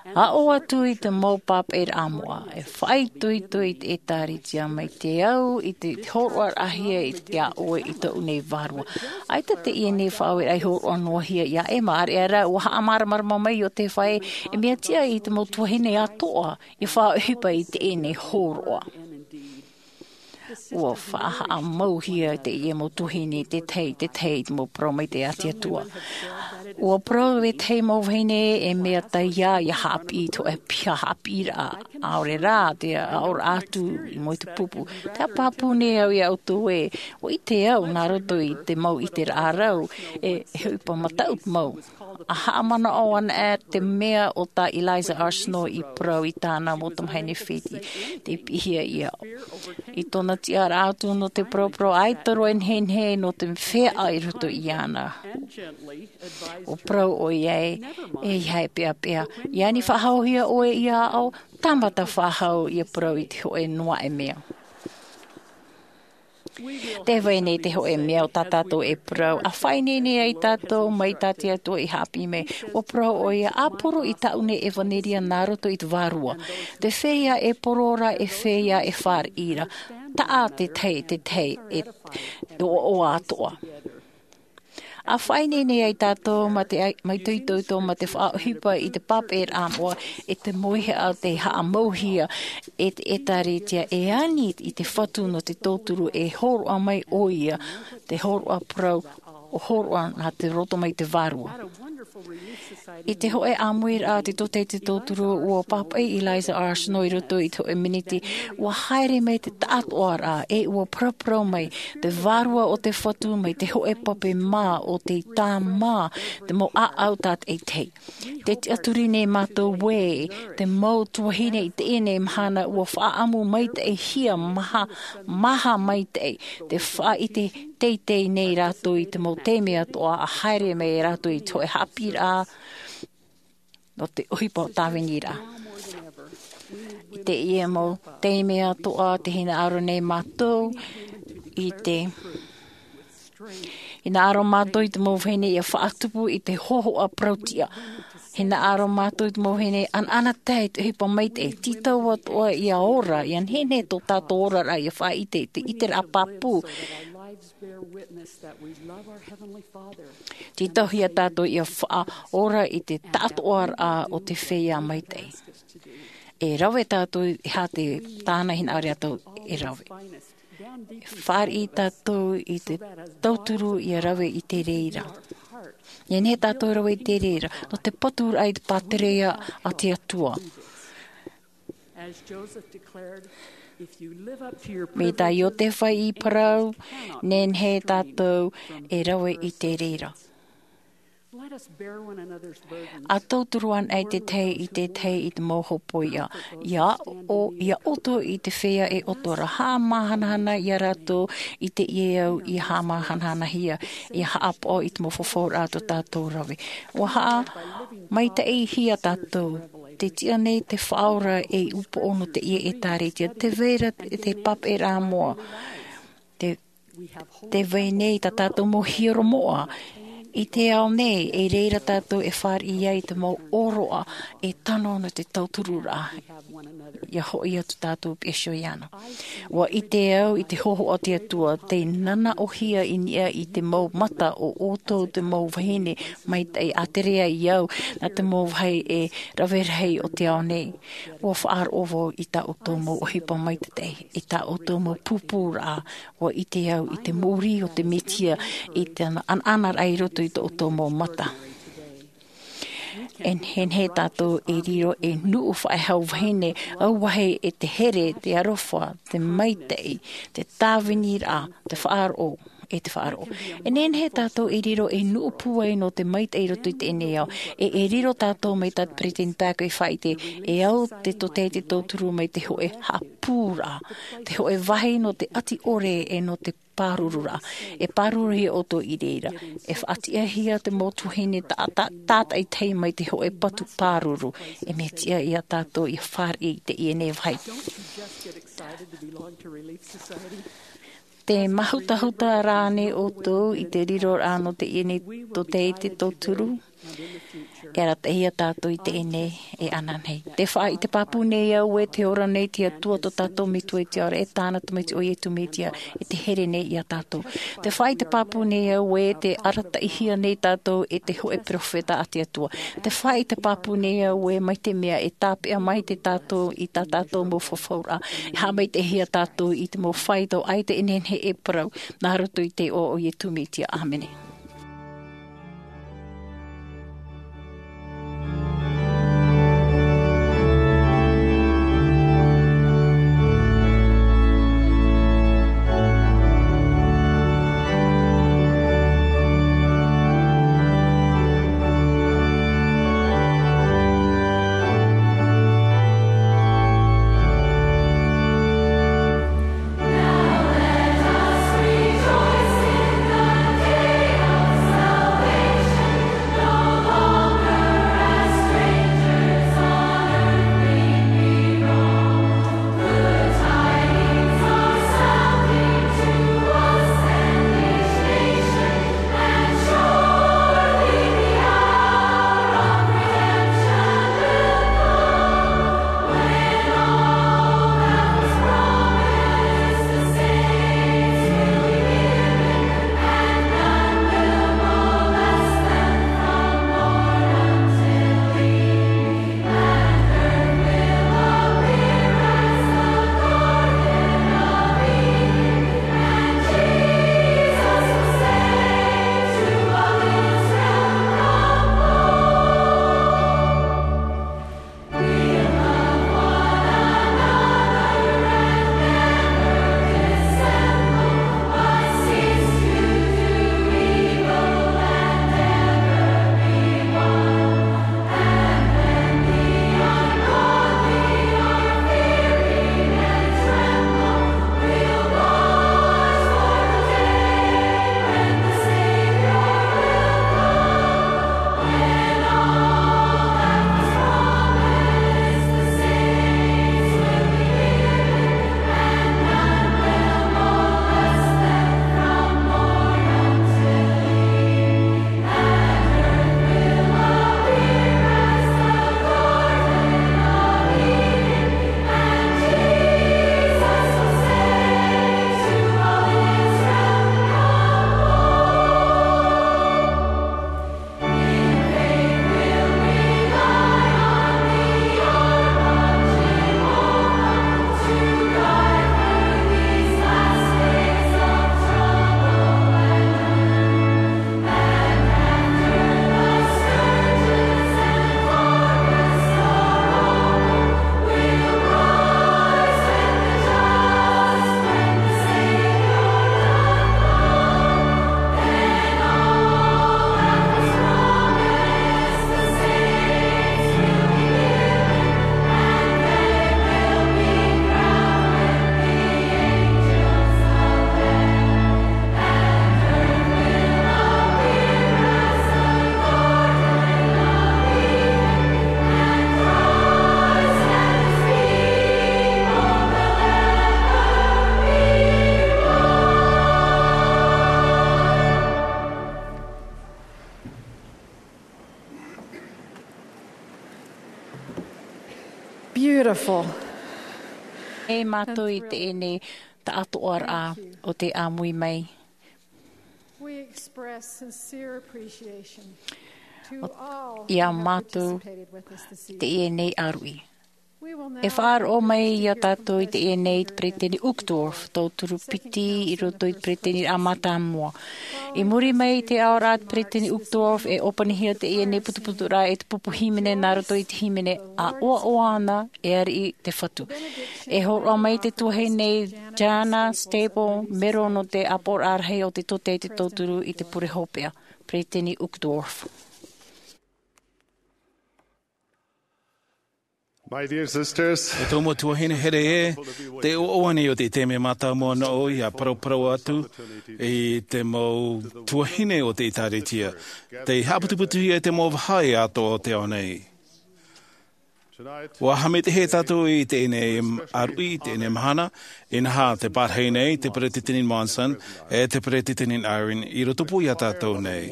Aʻo atu i te mau pāpaʻiraʻa moʻa, e faʻaitoito i te ʻĒtārētia mai te au i te hōroʻahia iā ʻoe i tōʻu nei vārua. ʻAita teie nei faʻaueraʻa i hōroʻa noa hia iā Ema, ʻāreʻa rā, ʻua haʻamāramarama mai Iosepha ē, e mea tiʻa i te mau tuahine atoʻa ʻia faʻaʻohipa i teie nei hōroʻa. ʻUa faʻahaʻamauhia teie mau tuahine i te tahi, i te tahi i te mau parau maitaʻi a te Atua. ʻUa parau e te mau vahine e mea taiā ʻia haʻapiʻi i te hōʻē piha haʻapiʻiraʻa, ʻaore rā te aʻoraʻa atu i mua i te pupu. Tē pāpū nei au iā ʻoutou ē, ʻua ʻite au nā roto i te mau ʻiteraʻa rau, e, e ʻohipa mataʻu mau. ʻA haʻamanaʻo anaʻe te mea ʻo tā Eliza R. Snow i parau i tāna mau tamahine Fiti, tei piʻihia iāʻu. I tōna tiʻaraʻa atu nō te paraparau, ʻaita roa e nehenehe nō te feiā i roto iāna. ʻUa parau ʻoia ē, ʻeiaha e peʻapeʻa, ʻia ani faʻahouhia ʻoe iāʻu, tāmata faʻahou ʻia parau i te hōʻē noa e mea. Tē vai nei te hōʻē mea ʻo tā tātou e parau, ʻa faʻaineine ai tātou mai tā te Atua i haʻapiʻi mai. ʻUa parau ʻoia, ʻa poro i tāʻu nei ʻevaneria nā roto i te vārua. Te feiā e poro ra, e feiā e fāriʻi ra. Taʻa te tahi, te tahi, e, e ʻoaʻoa atoʻa. ʻA faʻaineine ai tātou mā te ai-, mā te itoito, mā te faʻaʻohipa i te pāpaʻiraʻa moʻa, e te mauihaʻa tei haʻamauhia e te ʻĒtārētia e ani i te Fatu nō te tauturu e hōroʻa mai ʻoia, te hōroʻa parau, ʻo hōroʻa nā te roto mai te vārua. I te hōʻē ʻāmuiraʻa a te tōtaiete tauturu, ʻua pāpaʻi Eliza R. Snow i roto i te hōʻē miniti, ʻua haere mai te taʻatoʻaraʻa, e ʻua paraparau mai, te vārua o te Fatu mai te hōʻē pape mā o tei tāmā te mau ʻāʻau tātaʻitahi. Tē tiʻaturi nei mātou ē, te mau tuahine i teie nei mahana ʻua faʻaʻamu maitaʻihia maha, maha maitaʻi, te faʻaʻite teitei nei rātou i te mau taime atoʻa ʻa haere mai rātou i te hōʻē haʻapiʻiraʻa nō te ʻohipa o tāviniraʻa. I teie mau taime atoʻa, tē hinaʻaro nei mātou i te, hinaʻaro mātou i te mau vahine ʻia faʻatupu i te hōhoʻa parau-tiʻa. Hinaʻaro mātou i te mau vahine ʻanaʻanatae i te ʻohipa maitaʻi, tītau atoʻa ʻia ora, ʻia nehenehe tō tātou oraraʻa ʻia faʻaʻite i te ʻiteraʻa pāpū. Tītauhia tātou ʻia faʻaora i te taʻatoʻaraʻa o te feiā maitaʻi. E rave tātou e aha te tāna hinaʻaro tātou e rave. Fāriʻi tātou i te tauturu ia rave i te reira. Nehenehe tātou e rave i te reira nō te paturaʻa i te pātireia a te Atua. Mai tā Iosepha i parau, nehenehe tātou e rave i te reira. A tauturu anaʻe te tahi i te tahi i te mau hōpoiʻa. Ia ʻo ia ʻoto i te feiā e ʻoto ra, haʻamāhanahana ia rātou i teie au ia haʻamāhanahanahia, ia haʻapaʻo i te mau fafauraʻa a tō tātou rave. Ua haʻamaitaʻihia tātou te tiʻa nei te Faʻaora ei upoʻo nō teie ʻētāretia, tē vai ra te pāpaʻiraʻa moʻa. Te, tē vai nei tā tātou mau hiero moʻa i te ao nei, e reira tātou e fāriʻi ai te mau ʻōroʻa e tano nō te tautururaʻa. Ia hoʻi atu tātou piha iho iāna. Ua ʻite au i te hōhoʻa a te Atua, tē nanaʻohia i niʻa i te mau mata o ʻoutou te mau vahine maitaʻi, ʻātere ai au nā te mau vāhi e rave rahi o te ao nei. Ua faʻaroʻo vau i tā ʻoutou mau ʻohipa maitaʻi, i tā ʻoutou mau pūpūraʻa. Ua ʻite au i te mōrī o te Mesia, i te ʻanaʻanaraʻa i roto i tō ʻoutou mau mata. E nehenehe tātou e riro ei nuʻu faʻehau vahine, auahi e te here, te aroha, te maitaʻi, te tāviniraʻa, te faʻaroʻo, e te faʻaroʻo. E nehenehe tātou e riro ei nuʻu pūai nō te maitaʻi i roto i teie nei ao. E, e riro tātou mai tā Peresideni Packer i faʻaʻite, e au te tōtaiete tauturu mai te hōʻē haʻapūraʻa, te hōʻē vāhi nō te ʻati ʻore e nō te pārururaʻa. E pāruruhia ʻoutou i reira. E faʻatiʻahia te mau tuahine tā, tā, tātaʻitahi mai te hōʻē patu pāruru. E mea tiʻa ia tātou ia fāriʻi i teie nei vāhi. Tē māhutahuta ra ānei ʻoutou i te riroraʻa nō teie nei tōtaiete tauturu? E arataʻihia tātou i teie nei e ananahi. Tē faʻaʻite pāpū nei au ē tē ora nei te Atua tō tātou Metua i te ao ra, e tāna Tamaiti ʻo Iesu Mesia, e tē here nei ia tātou. Tē faʻaʻite pāpū nei au ē tē arataʻihia nei tātou e te hōʻē perofeta a te Atua. Tē faʻaʻite pāpū nei au ē mai te mea e tāpeʻa maitaʻi tātou i tā tātou mau fafauraʻa. E haʻamaitaʻihia tātou i te mau faito, ʻaita e nehenehe e parau, nā roto i te iʻoa o Iesu Mesia. ʻĀmene. Fo. E mātou i teie nei taʻatoʻaraʻa o te ʻāmui mai. Ia mātou i teie nei ʻāruʻi. E faʻaroʻo mai iā tātou i teie nei te peresideni Uchtdorf, tauturu piti i roto i te peresideni a mātāmua. I muri mai i te aoraʻa a te peresideni Uchtdorf, e ʻōpanihia teie nei putuputuraʻa e te pupu hīmene nā roto i te hīmene a ʻoaʻoa ana, e ariʻi te fatu. E hōroʻa mai te tuahine Jana Staples Mero nō te ʻāpoʻoraʻa rahi o te tōtaiete tauturu i te pure hopeʻa. Peresideni Uchtdorf. My dear sisters, e tō mau tuahine here ē, te ʻoaʻoa nei o te taime mātāmua nōʻu ia paraparau atu i te mau tuahine o te ʻēkālesia, tei haʻaputuputuhia e te mau vahaʻa atoʻa o te ao nei. Ua haʻamaitaʻi tātou i teie nei ʻāruʻi, i teie nei mahana, inaha te parahi nei, te peresideni Monson, e te peresideni Eyring, i roto pū iā tātou nei.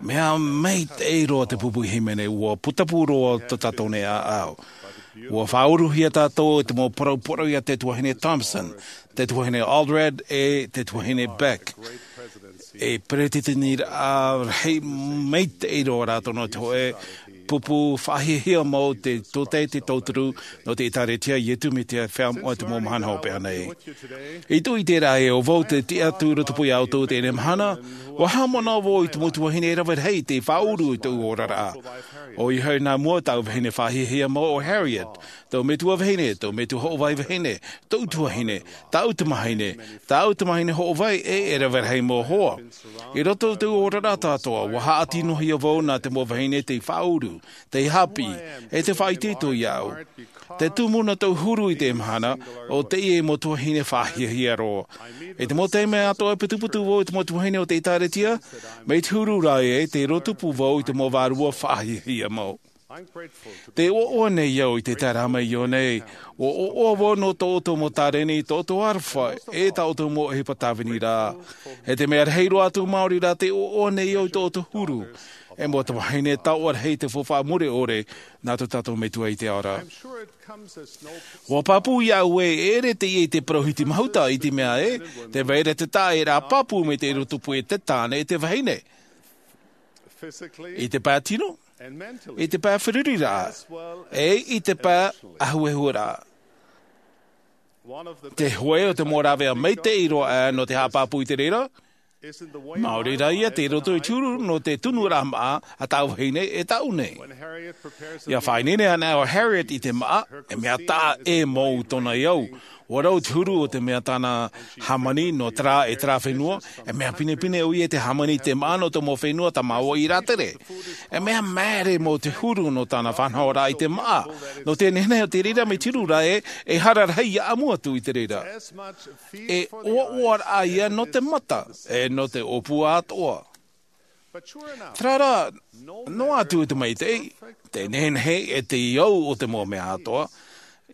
Mea maitaʻi roa te pupu hīmene, ua putapū roa tō tātou nei ʻāʻau. Ua faʻauruhia tātou i te mau paraparau iā te tuahine Thompson, te tuahine Allred, e te tuahine Beck. E peresideni rahi maitaʻi roa rātou nō te hōʻē pupu faʻahiahia mau te tōtaiete tauturu nō te ʻēkālesia a Iesu Mesia Feiā Moʻa i te mau mahana hopeʻa nei. I tō ʻite ra ē, ʻo vau tei tiʻa atu i roto pū iā ʻoutou i teie mahana, ua haʻamanaʻo vau i te mau tuahine e rave rahi tei faʻauru i tōʻu oraraʻa. ʻOia hoʻi nā mua tāʻu vahine faʻahiahia mau ʻo Harriet, tōʻu metua vahine, tōʻu metua hoʻovai vahine, tōʻu tuahine, tāʻu tamahine, tāʻu tamahine hoʻovai, e e rave rahi mau hoa. I roto i tōʻu oraraʻa atoʻa, ua haʻatinohia vau nā te mau vahine tei faʻauru, tei haʻapiʻi, e tei faʻaitoito iāʻu. Te tumu nā tōʻu huru i teie mahana, ʻo teie mau tuahine faʻahiahia roa. I te mau taime atoʻa e putuputu vau i te mau tuahine o te ʻēkālesia, mai te huru ra ē, tei roto pū vau i te mau vārua faʻahiahia mau. Tē ʻoaʻoa nei au i te taeraʻa mai i ʻō nei, ʻua ʻoaʻoa vau nō tō ʻoutou mau tāreni, tō ʻoutou aroha, e tā ʻoutou mau ʻohipa tāvini ra. E te mea rahi roa atu maori rā tē ʻoaʻoa nei au i tō ʻoutou huru. E mau tamahine taoʻa rahi te faufaʻa mure ʻore, nā tō tātou Metua i te ao ra. Ua pāpū iāʻu ē, e ʻere teie i te parau hiti mahuta i te mea ē, tē vai ra te taʻa e rā pāpū mai te roto pū e te tāne e te vahine. I te pae tino, i te pae feruriraʻa, e i te pae ahuehuraʻa. Te hōʻē o te mau rāveʻa maitaʻi roa aʻe nō te haʻapāpū i te reira, maori rā ia tei roto i te huru nō te tunuraʻa māʻa a tāʻu vahine e tāʻu nei. ʻIa faʻaineine ana ʻo Harriet i te māʻa, e mea taʻa ʻē mau tōna i au. ʻUa rau te huru o te mea tāna hāmani nō terā e terā fenua, e mea pinepine ʻoia i te hāmani i te māʻa nō te mau fenua tamāoa i rātere. E mea māere mau te huru nō tāna faʻanahoraʻa i te māʻa. Nō te nehenehe o te reira mai te huru ra ē, e hara rahi ia ʻamu atu i te reira. E ʻoaʻoaraʻa ia nō te mata, e nō te ʻōpua atoʻa. Terā rā, noa atu i te maitaʻi, te nehenehe e te au o te mau mea atoʻa,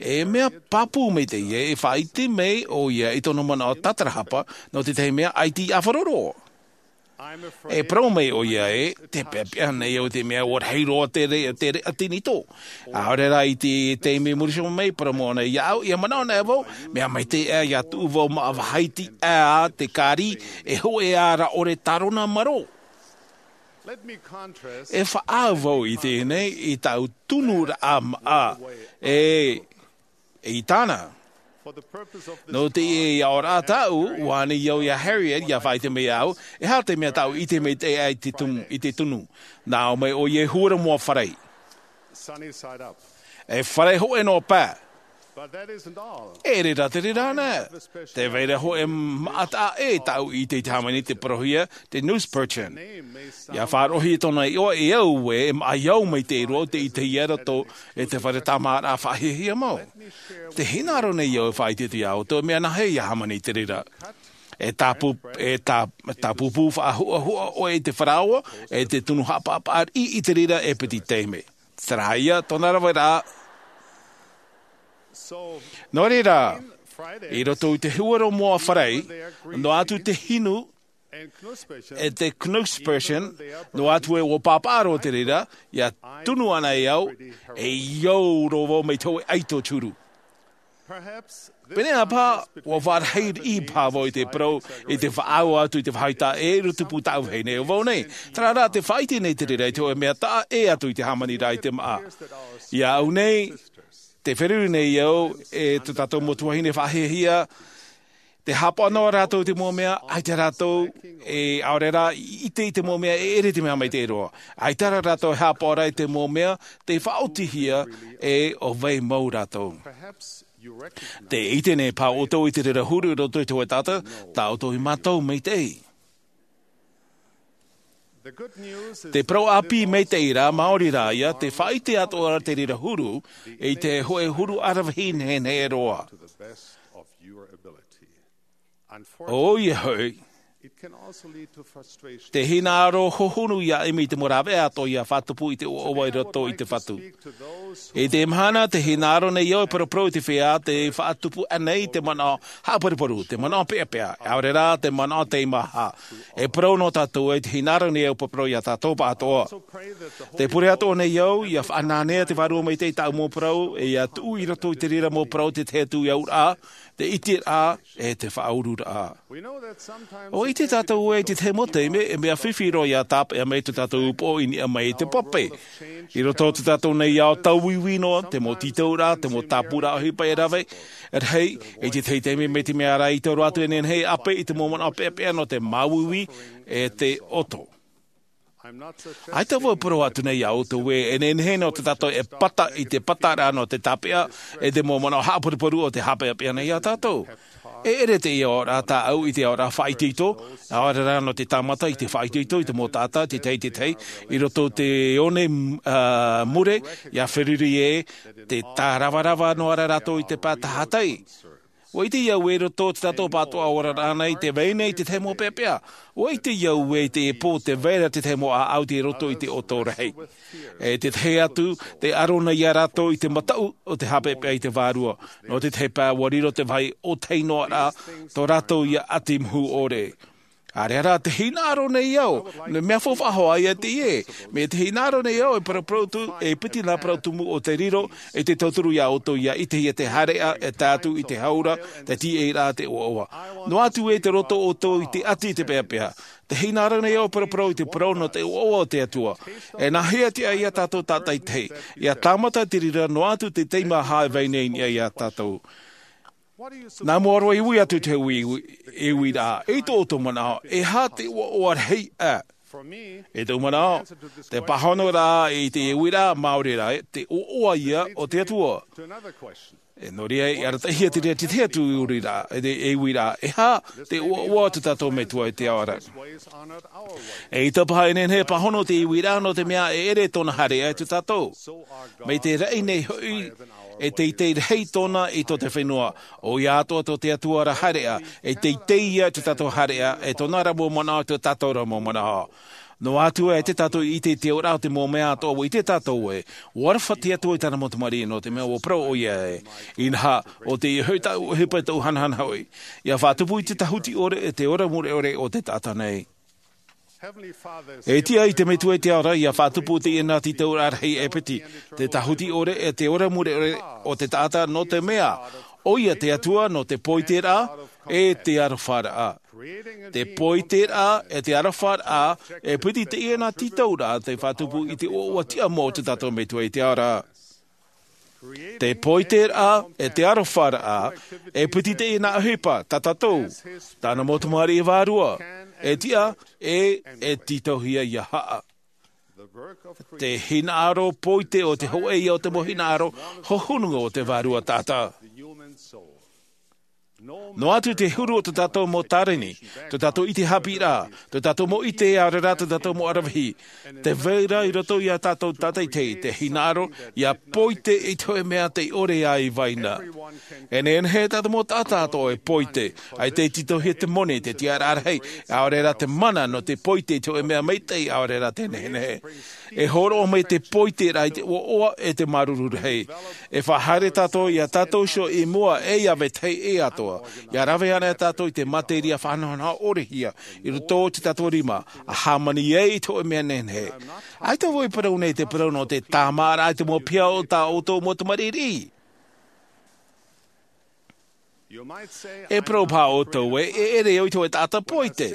e mea pāpū maitaʻi ē, e faʻaʻite mai ʻoia i tōna manaʻo tātarahapa nō tētahi mea ʻaita i ʻāfaro roa. E parau mai ʻoia ē, tē peʻapeʻa nei au i te mea ʻua rahi roa te re-, te reʻa tinitō. ʻAore rā i te taime i muri iho mai, parau mai ʻōna iāʻu, ʻia manaʻo ana vau, mea maitaʻi aʻe ʻia tuʻu vau māʻa vāhi tiʻa te kāri, e hōʻē ā rā ʻore tārona marō. E faʻaau vau i teie nei i tāʻu tunuraʻa māʻa, e i tāna. Nō teie aʻoraʻa tāʻu, ʻua ani au iā Harriet, ʻia faʻaʻite mai iāʻu, e aha te mea tāʻu i ʻite maitaʻi ai i te tunu, i te tunu. Nā ʻō mai ʻoia e huru moa fare. E fare hōʻē noa pae. E ʻere rā te reira ana. Tē vai ra hōʻē māʻa taʻa ʻē tāʻu i ʻite i te hāmani te parauhia, te Nusperchen. ʻIa faʻaroʻohia tōna iʻoa e au ē, e māʻa i au mai te roa o te ʻitehia roto e te fare tāmāraʻa faʻahiahia mau. Tē hinaʻaro nei au e faʻaʻite atu iā ʻoutou, mea nāhea ʻia hāmani i te reira. E tāpū, e tā, tāpūpū faʻahuʻahuʻa ʻoe i te faraoa, e te tunu haʻapaʻapaʻariʻi i te reira e piti taime. Terā ia tōna rave rā. Nō reira, i roto i te huero moa fare, noa atu te hinu, E te Knusperchen, noa atu e ua pāpaʻa roa te reira, ia tunu ana e au, e iau roa vau mai te hōʻē ʻaito turu. Pēnei paha, ua vārahi riʻi paha vau i te parau, i te faʻaau atu i te vāhi taʻa ʻē i roto i te pū taʻu vahine o vau nei. Terā rā, te faʻaʻite nei te reira i te hōʻē mea taʻa ʻē atu i te hāmani rā i te māʻa. Ia au nei, te feruri nei au, e tō tātou mau tuahine faʻahiahia, te hāpaʻo noa rātou i te mau mea, ʻaita rātou, e ʻaore rā, i ʻite i te mau mea, e ʻere te mea maitaʻi roa. ʻAita rā rātou e hāpaʻo ra i te mau mea, tei faʻaotihia, e ʻo vai mau rātou. Te ʻite nei paha ʻoutou i te reira huru i roto i te hōʻē taʻata, tā ʻoutou i mātau maitaʻi. Te parau ʻāpī maitaʻi rā, maori rā ia, te faʻaʻite atoʻa ra te reira huru, i te hōʻē huru aravihi nehenehe roa. ʻOia hoʻi, te hinaʻaro hohonu ia ʻimi i te mau rāveʻa atoʻa ia faʻatupu i te ʻoaʻoa i roto i te fatu. I te mahana, te hinaʻaro nei au e paraparau i te feiā tei faʻatupu ʻanei te manaʻo haʻaparuparu, te manaʻo peʻapeʻa, ʻaore rā, te manaʻo teimaha. E parau noa tātou ē, te hinaʻaro nei au e paraparau ia tātou pāʻatoʻa. Te pure atoʻa nei au, ia faʻananea te Vārua Maitaʻi i tāʻu mau parau, e ia tuʻu i roto i te reira mau parau te tahi atu i te auraʻa, te ʻiteraʻa, e te faʻaururaʻa. ʻUa ʻite tātou ē i te tahi mau taime, e mea fifi roa ia tāpeʻa mai tō tātou upoʻo i niʻa mai i te pape. I roto o tō tātou nei ao tauiui noa, te mau tītauraʻa, te mau tāpūraʻa ʻohipa e rave, e rahi, i te tahi taime mai te mea rā i taura atu e nehenehe e ʻape i te mau manaʻo peʻapeʻa nō te māuiui, e te ʻoto. ʻAita vau e parau atu nei ia ʻoutou ē, e nehenehe nō tō tātou e pata i te pataraʻa nō te tāpeʻa, e te mau manaʻo haʻaparuparu o te haʻapeʻapeʻa nei ia tātou. E ʻere teie aoraʻa tāʻau i te aoraʻa faʻaitoito, ʻaore rā nō te tāmata i te faʻaitoito i te mau taʻata, te tahi, te tahi, i roto i te one, ā, mure, ia feruri ē, te tāravarava noa ra rātou i te pae tahatai. ʻUa ʻite au ē i roto i tō tātou pāʻatoʻa oraraʻa nei, tē vai nei te tahi mau peʻapeʻa. ʻUa ʻite au ē i teie pō tē vai ra te tahi mau ʻāʻau tei roto i te ʻoto rahi. E te tahi atu, tē aro nei ia rātou i te mataʻu o te haʻapeʻapeʻa i te Vārua. Nō te tahi pae ʻua riro te vāhi ʻōtahi noa ra, tō rātou ia ʻati muhu ʻore. ʻĀreʻa rā, te hinaʻaro nei au, nō te mea faufaʻa hoʻi ia teie, mai te hinaʻaro nei au e paraparau atu, e piti nā parau tumu o te riro, e te tauturu ia ʻoutou ia ʻitehia te haereʻa, e tae atu i te hau ra, te tīaʻiraʻa, te ʻoaʻoa. Noa atu ē tei roto ʻoutou i te ʻati i te peʻapeʻa. Te hinaʻaro nei au e paraparau i te parau nō te ʻoaʻoa o te Atua. E nāhea te ʻāʻai ia tātou tātaitahi. Ia tāmata te reira noa atu te teimaha e vai nei i niʻa ia tātou. Nā mua roa e ui atu te ui, ui, e uiraʻa, i tō ʻoutou manaʻo, e aha te ʻoaʻoa rahi ā? I tōʻu manaʻo, te pāhonoraʻa i te uiraʻa māori rā, te ʻoaʻoa ia o te Atua. E nō reira, i arataʻihia te reira te tahi atu uiraʻa, e te, e uiraʻa, e aha te ʻoaʻoa o tō tātou Metua i te ao ra. E ʻaita paha e nehenehe e pāhono te uiraʻa nō te mea e ʻere tōna haereʻa i tō tātou. Mai te raʻi nei hoʻi, e teitei rahi tōna i tō te fenua, ʻoia atoʻa tō te Atua ra haereʻa, e teitei ia i tō tātou haereʻa, e tōna ra mau manaʻo, tō tātou ra mau manaʻo. Noa atu ē tē tātou i ʻite i te auraʻa o te mau mea atoʻa ʻua ʻite tātou ē, ʻua aroha te Atua i tāna mau tamariʻi nō te mea ʻua parau ʻoia ē. Inaha, ʻo teie hoʻi tāʻu ʻohipa, tāʻu hanahana hoʻi. Ia faʻatupu i te tāhuti ʻore, e te ora mure ʻore o te taʻata nei. E tiʻa i te Metua i te ao ra, ia faʻatupu teie nā tītauraʻa rahi e piti, te tāhuti ʻore, e te ora mure ʻore o te taʻata nō te mea, ʻoia te Atua nō te poiteraʻa, e te arofaraʻa. Te poiteraʻa, e te arofaraʻa, e piti teie nā tītauraʻa, tei faʻatupu i te ʻoaʻoa tiʻamō o tō tātou Metua i te ao ra. Te poiteraʻa, e te arofaraʻa, e piti teie nā ʻohipa, tā tātou, tāna mau tamariʻi vārua, e tiʻa, e, e tītauhia ia haʻa. Te hinaʻaro poite o te hōʻē ia o te mau hinaʻaro hohonu o te vārua taʻata. Noa atu te huru o tō tātou mau tāreni, tō tātou ʻite haʻapiʻiraʻa, tō tātou mau ʻite ʻaore rā tō tātou mau aravihi. Tē vai ra i roto ia tātou tātaʻitahi te hinaʻaro, ia poite i te hōʻē mea tei ʻore ai vaina. E nehenehe tā te mau taʻata atoʻa e poite, ʻaita e tītauhia te moni, te tiʻaraʻa rahi, ʻaore rā te mana nō te poite i te hōʻē mea maitaʻi ʻaore rā te nehenehe. E hōroʻa mai te poiteraʻa i te ʻoaʻoa e te māuruuru rahi. E faʻahaere tātou ia tātou iho i mua e ia vetahi e atoʻa. ʻIa rave ana tātou i te materia faʻanahonaho ʻore hia i roto i te tātou rima, ʻa hāmani ai i te hoʻe mea nehenehe. ʻAita vau e parau nei te parau nō te tāmāraʻa i te mau piha o tā ʻoutou mau tamariʻi. E parau paha ʻoutou ē, e ʻere au i te hoʻe taʻata poite.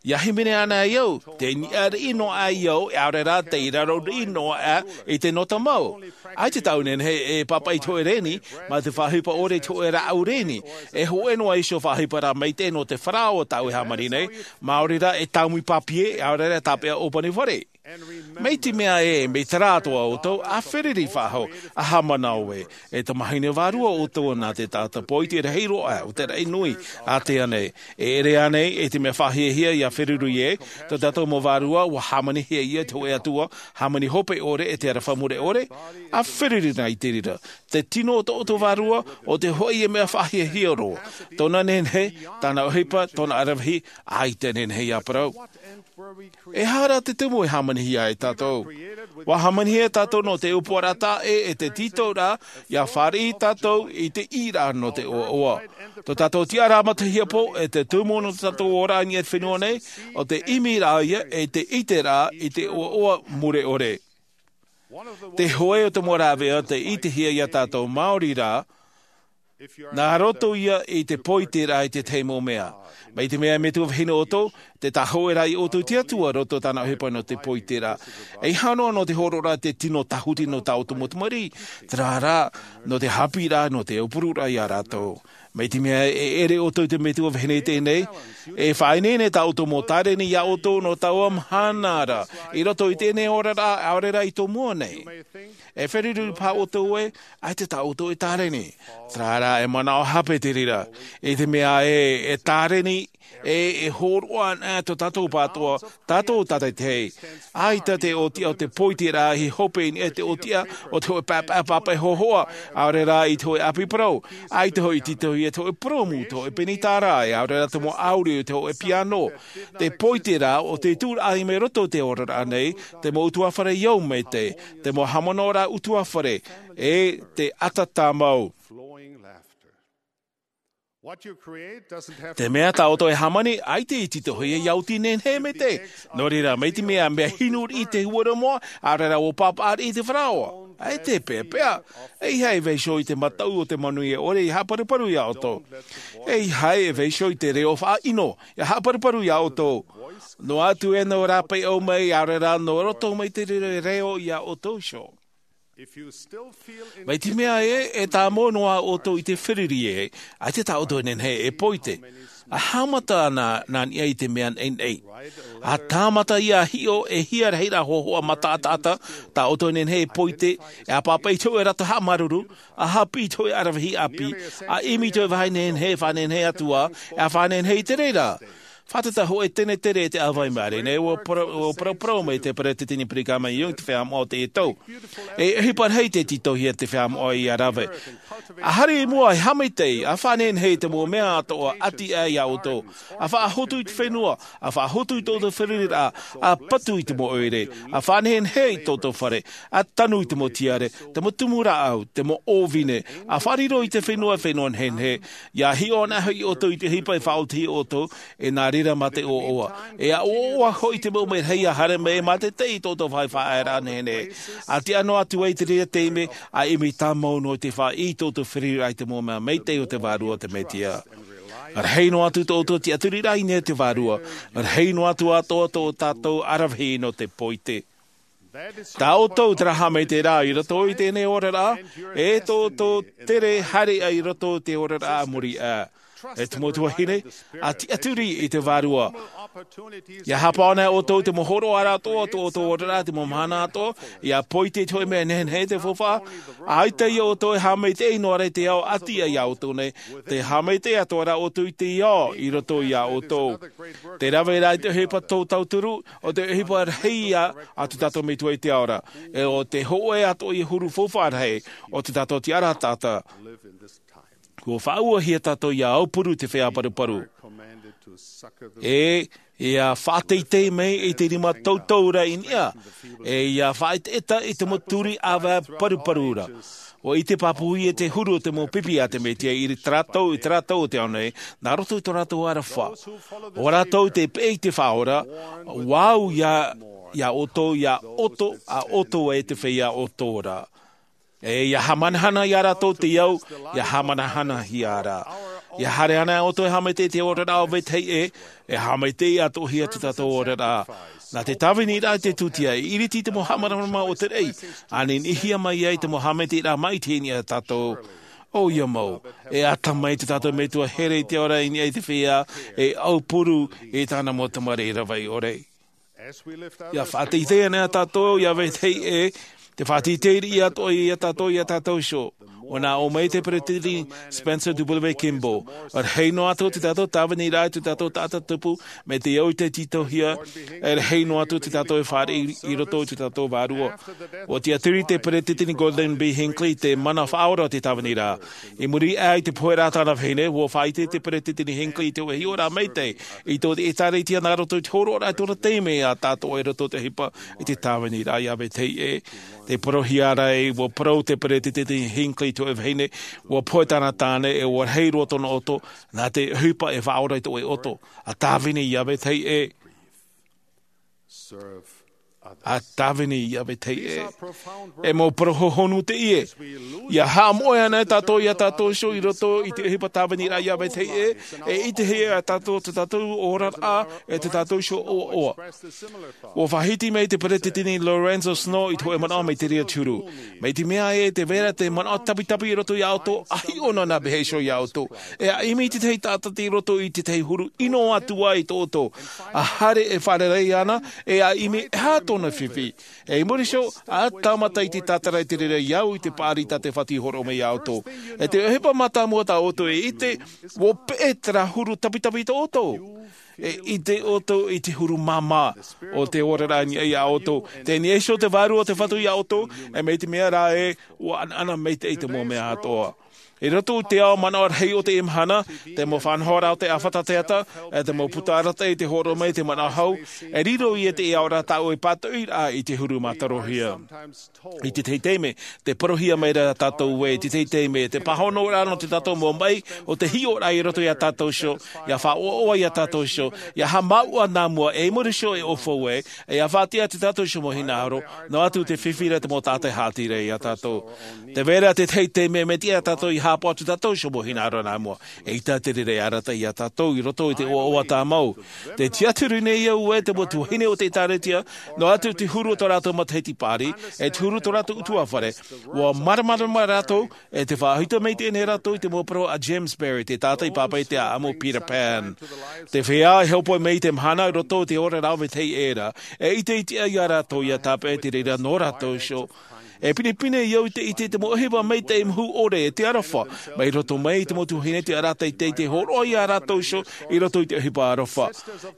ʻIa hīmene ana ai au, te niʻa riʻi noa aʻe au, ʻaore rā tei raro riʻi noa aʻe i te nota mau. ʻAita tāʻu nehenehe e pāpaʻi i te hoʻe reni, mā te faʻaʻohipa ʻore i te hoʻe rāʻau reni. E hōʻē noa iho faʻaʻohipa rā maitaʻi nō te faraoa tāʻu e hāmani nei, maori rā e tāmui pāpie, ʻaore rā tāpeʻa ʻōpani fare. Mai te mea ē, mai terā atoʻa ʻoutou, ʻa feruri faʻahou, ʻa haʻamanaʻo ē, e tamahine vārua ʻoutou nā te taʻata poite rahi roa, ʻo te raʻi nui, ātea nei. E ʻere ānei, e te mea faʻahiahia ʻia feruri ē, tō tātou mau vārua, ʻua hāmanihia ʻia te hoʻe Atua, hāmani hope ʻore e te aroha mure ʻore, ʻa feruri na i te reira. Te tino o tō ʻoutou vārua, ʻo te hoʻi e mea faʻahiahia roa. Tōna nehenehe, tāna ʻohipa, tōna aravihi, ʻaita e nehenehe ʻia parau. E aha rā te tumu e hāmanihia ai tātou? ʻUa hāmanihia tātou nō te ʻōpuaraʻa taʻe e te tītauraʻa, ʻia fāriʻi tātou i te ʻīraʻa nō te ʻoaʻoa. Tō tātou tiʻaraʻa matahiapo, e te tumu nō tō tātou oraraʻa i niʻa i te fenua nei, ʻo te ʻimiraʻa ïa, e te ʻiteraʻa i te ʻoaʻoa mure ʻore. Te hoʻe o te mau rāveʻa tei ʻitehia iā tātou maori rā, nā roto ia i te poiteraʻa i te tahi mau mea. Mai te mea e metua vahine ʻoutou, tē tāhōʻē rā ia ʻoutou i te Atua roto tāna ʻohipa nō te poiteraʻa. ʻEiaha noa nō te hōroʻaraʻa te tino tāhuti nō tā ʻoutou mau tamariʻi, terā rā, nō te haʻapiʻiraʻa, nō te aupururaʻa iā rātou. Mai te mea e ʻere ʻoutou i te metua vahine teie nei, e faʻaineine tā ʻoutou mau tāreni iā ʻoutou nō taua mahana ra, i roto i teie nei oraraʻa, ʻaore rā i tō mua nei. E feruri paha ʻoutou ē, ʻaita tā ʻoutou e tāreni. Terā rā, e manaʻo hape te reira. I te mea ē, e tāreni, e, e hōroʻa ana tō tātou pātoa, tātou tātaitahi. ʻAita te ʻōtiʻa o te poiteraʻa i hope i niʻa i te ʻōtiʻa o te hōʻē pāpaʻi, pāpaʻi hōhoʻa, ʻaore rā i te hōʻē ʻāpī parau. ʻAita hoʻi i tītauhia te hōʻē purōmu, te hōʻē penitara, ʻaore rā te mau ʻāuri o te hōʻē piano. Te poiteraʻa o te tūraʻa i mai roto i te oraraʻa nei, te mau ʻutuāfare i au maitaʻi, te mau haʻamanaʻoraʻa ʻutuāfare, e te ʻata tāmau. Te mea tā ʻoutou e hāmani, ʻaita i tītauhia ʻia oti nehenehe maitaʻi. Nō reira, mai te mea, mea hinu riʻi te huaramoa, ʻaore rā ʻua pāpaʻa riʻi te faraoa. ʻAita e peʻapeʻa. ʻEiaha e vaiiho i te mataʻu o te manuia ʻore ʻia haʻaparuparu iā ʻoutou. ʻEiaha e vaiiho i te reo faʻaʻino, ʻia haʻaparuparu iā ʻoutou. Noa atu ē nō rāpae ʻau mai, ʻaore rā nō roto mai te reo, reo iā ʻoutou iho. Mai te mea ē, e tāmau noa ʻoutou i te feruri ē, ʻaita tā ʻoutou e nehenehe e poite. ʻA haʻamata ana nā niʻa i te mea naʻinaʻi. ʻA tāmata ʻia hiʻo e hia rahiraʻa hōhoʻa mataʻataʻata, tā ʻoutou e nehenehe e poite, e ʻa pāpaʻi i te hōʻē rata haʻamāuruuru, ʻa haʻapiʻi i te hōʻē aravihi ʻāpī, ʻa ʻimi i te hōʻē vāhi nehenehe, e faʻanehenehe atu ā, e ʻa faʻanehenehe i te reira. Fātata hōʻē tenetene e te ʻāvaʻe i maʻiri nei, ʻua parau, ʻua parauparau mai te peretiteni Brigham Young i te feiā moʻa o teie tau. E ʻohipa rahi tei tītauhia te feiā moʻa ʻia rave. ʻA haere i mua, e haʻamaitaʻi, ʻa faʻanehenehe i te mau mea atoʻa ʻati aʻe iā ʻoutou. ʻA faʻahotu i te fenua, ʻa faʻahotu i tō ʻoutou feruriraʻa, ʻa patu i te mau ʻoire, ʻa faʻanehenehe i tō ʻoutou fare, ʻa tanu i te mau tiare, te mau tumu rāʻau, te mau ʻōvine, ʻa faʻariro i te fenua, fenua nehenehe, ʻia hiʻo anaʻe hoʻi ʻoutou i te ʻohipa e faʻaoti iā ʻoutou, e nā reira mā te ʻoaʻoa. E ʻa ʻoaʻoa hoʻi te mau mea rahi ʻia haere mai e mātaitai i tō ʻoutou vāhi faʻaearaʻa nehenehe. ʻA tiʻa noa atu ai i te reira taime, ʻa ʻimi tāmau noa i te faʻaʻī i tō ʻoutou feruriraʻa i te mau mea maitaʻi o te Vārua o te Mesia. Rahi noa atu tō ʻoutou tiʻaturiraʻa i niʻa i te Vārua. Rahi noa atu atoʻa tō tātou aravihi nō te poite. Tā ʻoutou terā haʻamaitaʻiraʻa i roto i teie nei oraraʻa, e tō ʻoutou tere haere i roto i te oraraʻa a muri aʻe. E te mau tuahine, ʻa tiʻaturi i te Vārua. ʻIa haʻapaʻo anaʻe ʻoutou i te mau hōroʻaraʻa atoʻa o tō ʻoutou oraraʻa, te mau mahana atoʻa, ʻia poite i te hōʻē mea nehenehe, te faufaʻa, ʻaita ia ʻoutou e haʻamaitaʻi noa ra i te ao ʻati aʻe iā ʻoutou nei, tē haʻamaitaʻi atoʻa ra ʻoutou i te ao i roto iā ʻoutou. Tē rave ra i te ʻohipa tō tauturu, ʻo te ʻohipa rahi ïa a tō tātou Metua i te ao ra, e ʻo te hōʻē atoʻa ia huru faufaʻa rahi o tō tātou tiʻaraʻa taʻata. ʻUa faʻauehia tātou ʻia aupuru i te feiā paruparu. E, Ia faʻateitei mai i te rima toutou ra i niʻa, e ia faʻaetaeta i te mau turi ʻāvae paruparu ra. ʻUa ʻite pāpū ia te huru o te mau pipi a te Mesia i te rātou, i te rātou o te ao nei, nā roto i tō rātou aroha. ʻO rātou te peʻe i te Faʻaora, ʻua au ia, ia ʻoutou, ia ʻoto, a ʻoutou e te feiā ʻoto ra. E ia haʻamanahana ia rātou te au, ia haʻamanahanahia ra. Ia haere ana ʻoutou e haʻamaitaʻi i te oraraʻa o vetahi ʻē, e haʻamaitaʻi atoʻahia tō tātou oraraʻa. Nā te tāviniraʻa i te tūtia, e iriti te mau haʻamāramarama o te raʻi, a niniʻihia mai ai te mau haʻamaitaʻiraʻa maitaʻi i niʻa ia tātou. ʻOia mau, e ata mai tō tātou Metua here i te ao ra i niʻa i te feiā, e aupuru i tāna mau tamariʻi rave ʻore. Ia faʻateitei ana ia tātou, ia vetahi ʻē, te faʻateitei riʻi atoʻa ia tātou, ia tātou iho. ʻUa nā ʻō mai te Peresideni Spencer W. Kimball, rahi noa atu tō tātou tāviniraʻa i tō tātou taʻata tupu, mai te au i te tītauhia, e rahi noa atu tō tātou e fāriʻi i roto i tō tātou vārua. ʻUa tiʻaturi te Peresideni Gordon B. Hinckley te mana faʻaora o te tāviniraʻa. I muri aʻe i te poheraʻa a tāna vahine, ʻua faʻaʻite te Peresideni Hinckley i te hiʻoraʻa maitaʻi i tō te ʻĒtārētia nā roto i te hōroʻaraʻa i tōna taime ia tātou i roto i te ʻohipa i te tāviniraʻa, ia vetahi ʻē. Te parauhia ra ē, ʻua parau te Peresideni Hinckley i te hōʻē vahine, ʻua pohe tāna tāne, e ʻua rahi roa tōna ʻoto, nā te ʻohipa e faʻaora i te hōʻē ʻoto. ʻA tāvini, ia vetahi ʻē. ʻA tāvini, ia vetahi ʻē. E mau parau hohonu teie. Ia haʻamoʻe ana tātou ia tātou iho i roto i te ʻohipa tāviniraʻa, ia vetahi ʻē, e ʻitehia ia tātou tō tātou oraraʻa, e tō tātou iho ʻoaʻoa. ʻUa faʻahiti mai te Peresideni Lorenzo Snow i te hōʻē manaʻo mai te reira te huru. Mai te mea ē, tē vai ra te manaʻo tapitapi i roto ia ʻoutou, ʻa hiʻo noa nā vetahi iho ia ʻoutou. E ʻimi i te tahi taʻata i roto i te tahi huru, ʻino atu ai tō ʻoutou. ʻA haere e fārerei ana, e ʻa ʻimi e aha tōna fifi. E i muri iho, ʻa tāmata i te tātara i te reira i au i te paʻari tā te Fatu i hōroʻa mai ia ʻoutou. E te ʻohipa mātāmua tā ʻoutou e ʻite, ʻua peʻe terā huru tapitapi tō ʻoutou. E ʻite ʻoutou i te huru māmā o te oraraʻa i niʻa ia ʻoutou. Tē niʻa iho te Vārua o te Fatu ia ʻoutou, e mai te mea rā ē, ʻua ʻanaʻana maitaʻi te mau mea atoʻa. I roto i te ao manaʻo rahi o teie mahana, te mau faʻanahoraʻa o te ʻāfata teata, e te mau puta arataʻi i te hōroʻa mai te manaʻo hau, e riro ia te aoraʻa tāʻu e pātoʻiraʻa i te huru mātarohia. I te tahi taime, tē parauhia mai ra tātou ē, i te tahi taime, te pāhonoraʻa nō tō tātou mau maʻi, ʻo te hiʻoraʻa i roto ia tātou iho, ia faʻaʻoaʻoa ia tātou iho, ia haʻamāuʻa nā mua, e i muri iho e ʻaufau ai, e ia faʻatiʻa tō tātou iho mau hinaʻaro, noa atu te fifi ra te mau taʻata e haʻati ra ia tātou. Tē vai ra te tahi taime mea tiʻa ia tātou ia haʻapaʻo tō tātou iho mau hinaʻaro nā mua. Eʻita te reira e arataʻi ia tātou i roto i te ʻoaʻoa tāmau. Tē tiʻaturi nei au ē te mau tuahine o te ʻĒtārētia, noa atu te huru o tō rātou matahiti paʻari, e te huru o tō rātou ʻutuāfare. ʻUa māramarama rātou, e tē faʻaʻite mai teie nei rātou i te mau parau a James Barrie, te taʻata i pāpaʻi i te ʻāʻamu Peter Pan. Te feiā e hōpoi mai i te mahana i roto i te oraraʻa o vetahi ʻē ra, e ʻite iti ai ia rātou ia tāpeʻa i te reira nō rātou iho. E pinepine au i te ʻite i te mau ʻohipa maitaʻi mahu ʻore e te aroha, mai roto mai i te mau tuahine te arataʻi tei te hōroʻa ia rātou iho i roto i te ʻohipa aroha.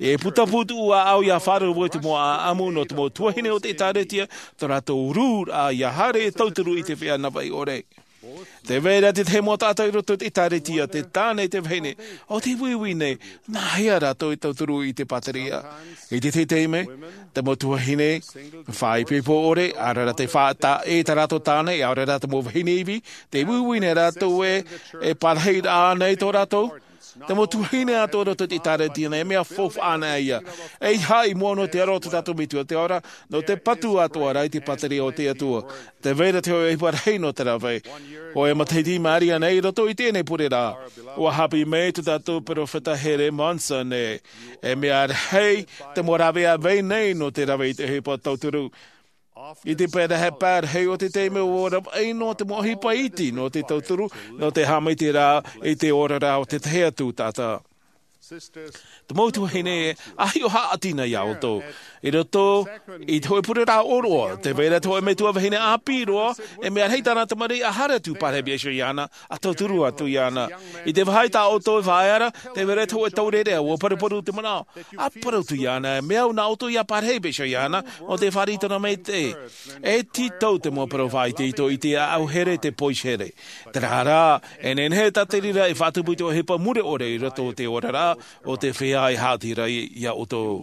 E puta pūtuʻu ʻāʻau ia faʻaroʻo i te mau ʻāʻamu nō te mau tuahine o te ʻĒtārētia, tō rātou rūraʻa ia haere e tauturu i te feiā navaʻi ʻore. Tē vai ra te tahi mau taʻata i roto i te ʻĒtārētia, te tāne, te vahine, ʻo tē uiui nei, nā hea rātou e tauturu i te pāteria. I te tahi taime, te mau tuahine, faʻaipoipo ʻore, ʻaore rā te faʻataʻe tā rātou tāne, ʻaore rā te mau vahine ivi, tē uiui nei rātou ē, e parahiraʻa nei tō rātou. Te mau tuahine atoʻa i roto i te ʻĒtārētia nei, e mea faufaʻa ana ia. E ʻeiaha i mua nō te aro o tō tātou Metua te ao ra, nō te patu atoʻa ra i te pāteria o te Atua. Tē vai ra te hōʻē ʻohipa rahi nō te rave. Hōʻē matahiti i maʻiri aʻe nei i roto i teie nei pure ra, ʻua haʻapiʻi mai tō tātou peropheta here Monson ē, e mea rahi te mau rāveʻa vai nei nō te rave i te ʻohipa tauturu. I te pae pae rahi o te taime ʻua ravaʻi noa te mau ʻohipa iti nō te tauturu, nō te haʻamaitaʻiraʻa i te oraraʻa o te tahi atu taʻata. Te mau tuahine, ʻa hiʻo haʻati na ia ʻoutou. I roto i te hōʻē pure ra ʻōroʻa, tē vai ra te hōʻē metua vahine ʻāpī roa, e mea rahi tāna tamariʻi ʻa haere atu, pārahi mai iho iāna, ʻa tauturu atu iāna. I te vāhi tā ʻoutou e faʻaea ra, tē vai ra te hōʻē taureʻareʻa, ʻua paruparu te manaʻo. ʻA parau atu iāna, e mea au nā ʻoutou ia pārahi mai iho iāna, nō te fāriʻi i tōna maitaʻi. E tītau te mau parau faʻaitoito i te ʻāʻau here, te poihere. Terā rā, e nehenehe tā te reira e faʻatupu i te ʻohipa mure ʻore i roto i te oraraʻa. o te feiā e haʻati ra iā ʻoutou.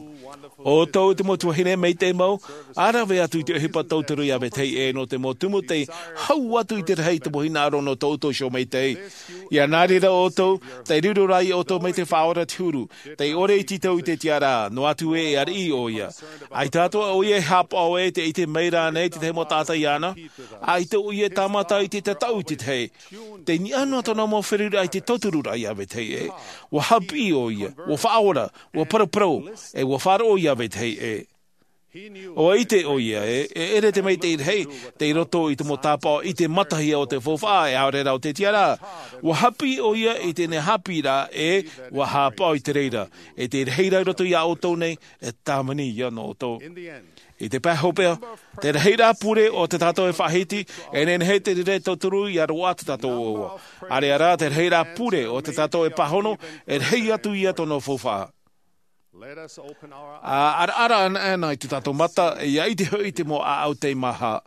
ʻOutou te mau tuahine maitaʻi mau, ʻa rave atu i te ʻohipa tauturu iā vetahi ʻē nō te mau tumu tei hau atu i te rahi i te mau hinaʻaro nō tō ʻoutou iho maitaʻi. ʻIa nā reira ʻoutou, tei riro rā iā ʻoutou mai te Faʻaora te huru, tei ʻore i tītau i te tiʻaraʻa, noa atu ē e ariʻi ʻoia. ʻAita atoʻa ʻoia e haʻapaʻo ē tē ʻite mai ra ānei te tahi mau taʻata iāna, ʻaita ʻoia e tāmata i te tataʻu i te tahi. Tei niʻa noa tōna mau feruriraʻa i te tautururaʻa iā vetahi ʻē. ʻUa haʻapiʻi ʻoia, ʻua faʻaora, ʻua paraparau, ʻe ʻua faʻaroʻo iā vetahi ʻē. ʻUa ʻite ʻoia ē, e ʻere te maitaʻi rahi, tei roto i te mau tāpaʻo ʻite matahia o te faufaʻa, e ʻaore rā o te tiʻaraʻa. ʻUa haʻapiʻi ʻoia i teie haʻapiʻiraʻa, ʻe ʻua haʻapaʻo i te reira. E te reira i roto iā ʻoutou nei, e tāvini ïa nō ʻoutou. I te pae hopeʻa, te rahiraʻa pure o tā tātou e faʻahiti, e nehenehe te reira e tauturu ʻia roaʻa tā tātou ʻoaʻoa. ʻĀreʻa rā, te rahiraʻa pure o tā tātou e pāhono, e rahi atu ïa tōna faufaʻa. ʻA araʻara anaʻe i tā tātou mata, ʻia ʻite hoʻi te mau ʻāʻau tei maha.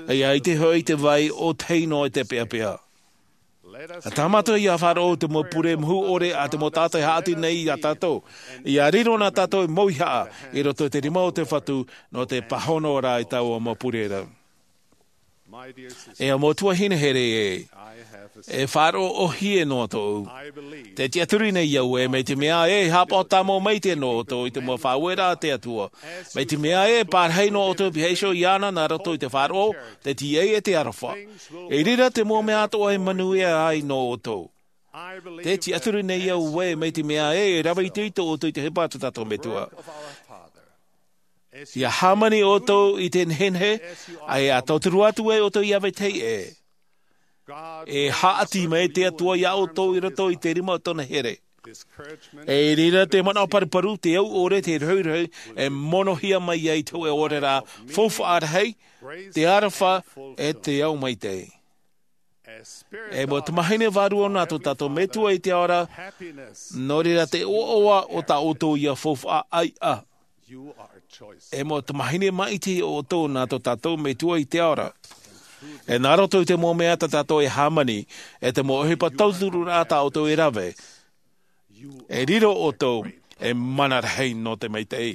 ʻIa ʻite hoʻi te vai ʻōtahi noa i te peʻapeʻa. ʻA tāmata ïa faʻaroʻo te mau pure mahu ʻore a te mau taʻata e haʻati nei iā tātou. ʻIa riro na tātou e mauihaʻa i roto i te rima o te Fatu nō te pāhono ra i taua mau pure ra. E mau tuahine here ē, e faʻaroʻo ʻōhie noa tōʻu. Tē tiʻaturi nei au ē, mai te mea ē e haʻapaʻo tāmau maitaʻi nō ʻoutou i te mau faʻaueraʻa a te Atua. Mai te mea ē e pārahi noa ʻoutou e pihaʻi iho iāna nā roto i te faʻaroʻo, te tīaʻi ʻe te aroha. I reira te mau mea atoʻa e manuia ai nō ʻoutou. Tē tiʻaturi nei au ē, mai te mea ē e rave itoito ʻoutou i te ʻohipa a tō tātou Metua. ʻIa hāmani ʻoutou i te nehenehe, ʻe ʻia tauturu atu ai ʻoutou iā vetahi ʻē. E haʻati mai te Atua iā ʻoutou i roto i te rima o tōna here. E i reira te manaʻo paruparu, te au ʻore, te rohirohi, e monohia mai ai te hōʻē ʻore ra, faufaʻa rahi, te aroha, ʻe te ao maitaʻi. E mau tamahine vārua nā tō tātou Metua i te ao ra, nō reira te ʻoaʻoa o tā ʻoutou ïa faufaʻa ʻaiʻa. E mau tamahine maitaʻi ʻoutou nā tō tātou Metua i te ao ra. E nā roto i te mau mea tā tātou e hāmani, e te mau ʻohipa tauturu rā tā ʻoutou e rave. E riro ʻoutou, e mana rahi nō te maitaʻi.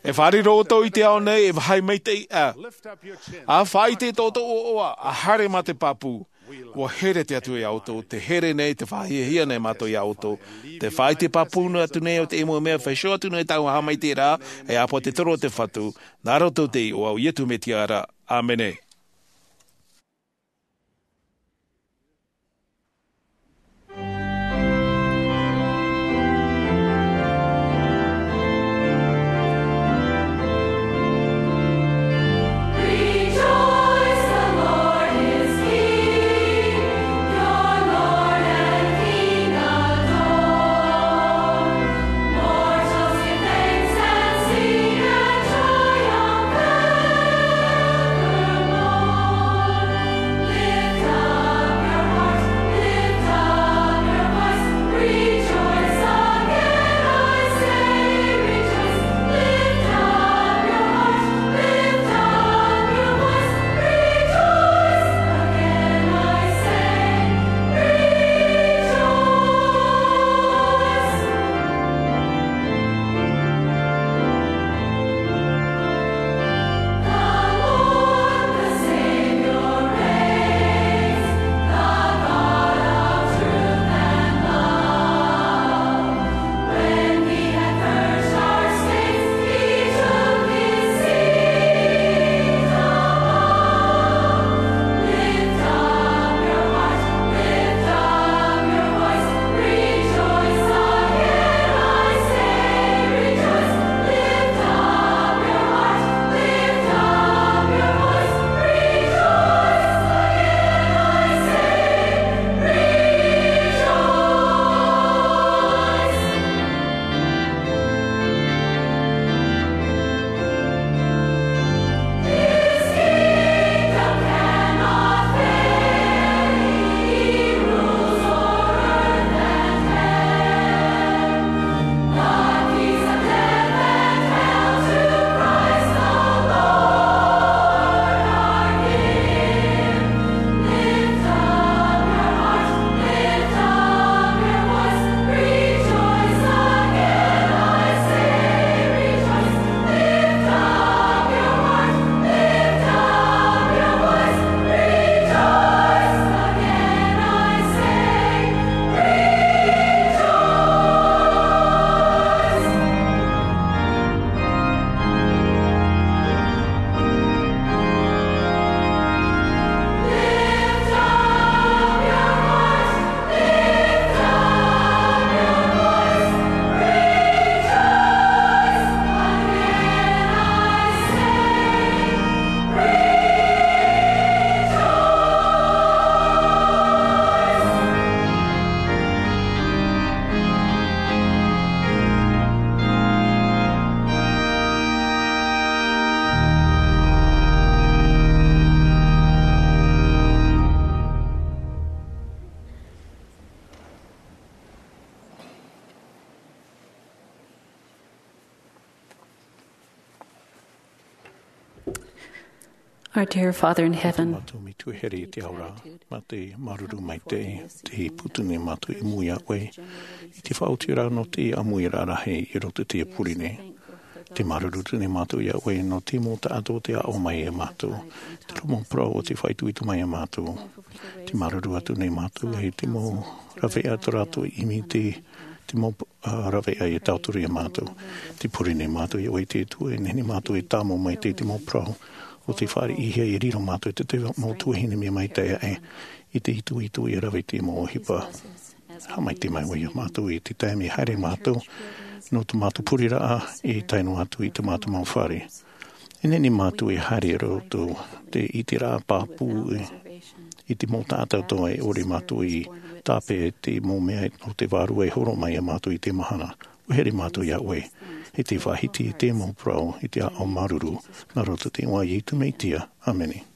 E faʻariro ʻoutou i te ao nei, e vāhi maitaʻi ā. ʻA faʻaʻite tō ʻoutou ʻoaʻoa, ʻa haere mā te pāpū. ʻUa here te Atua iā ʻoutou, tē here nei, tē faʻahiahia nei mātou iā ʻoutou. Tē faʻaʻite pāpū atu nei ʻo te mau mea, faʻaʻite atu nei tāua haʻamaitaʻiraʻa, e ʻāpōsetolo o te Fatu, nā roto i te iʻoa o Iesu Mesia ra. ʻĀmene. Our dear Father in heaven, mātou Metua here i te ao ra, mā te māuruuru maitaʻi, te pūtū nei mātou i mua iā ʻoe i te faʻaotiraʻa nō te ʻāmuiraʻa rahi i roto i teie pure nei. Te māuruuru atu nei mātou iā ʻoe nō te mau taʻata o tē aʻo mai iā mātou, te mau parau o tē faʻaitoito mai iā mātou. Te māuruuru atu nei mātou i te mau rāveʻa tō rātou ʻimi, te mau rāveʻa e tauturu iā mātou. Te pure nei mātou iā ʻoe te Atua, e nehenehe mātou e tāmau mai i te mau parau o tē fāriʻihia, e riro mātou i te mau tuahine mea maitaʻi aʻe i te itoito e rave i te mau ʻohipa. Haʻamaitaʻi mai ʻoe iā mātou i te taime e haere mātou nō tō mātou pureraʻa, e tae noa atu i tō mātou mau fare. E nehenehe mātou e haere i roto i te ʻiteraʻa pāpū i te mau taʻata atoʻa e ʻore mātou i tāpeʻa i te mau mea o te Vārua e horo mai iā mātou i teie mahana. ʻUa here mātou iā ʻoe, e te faʻahiti i te mau parau i te aʻo māuruuru, nā roto i te iʻoa o Iesu Mesia. ʻĀmene.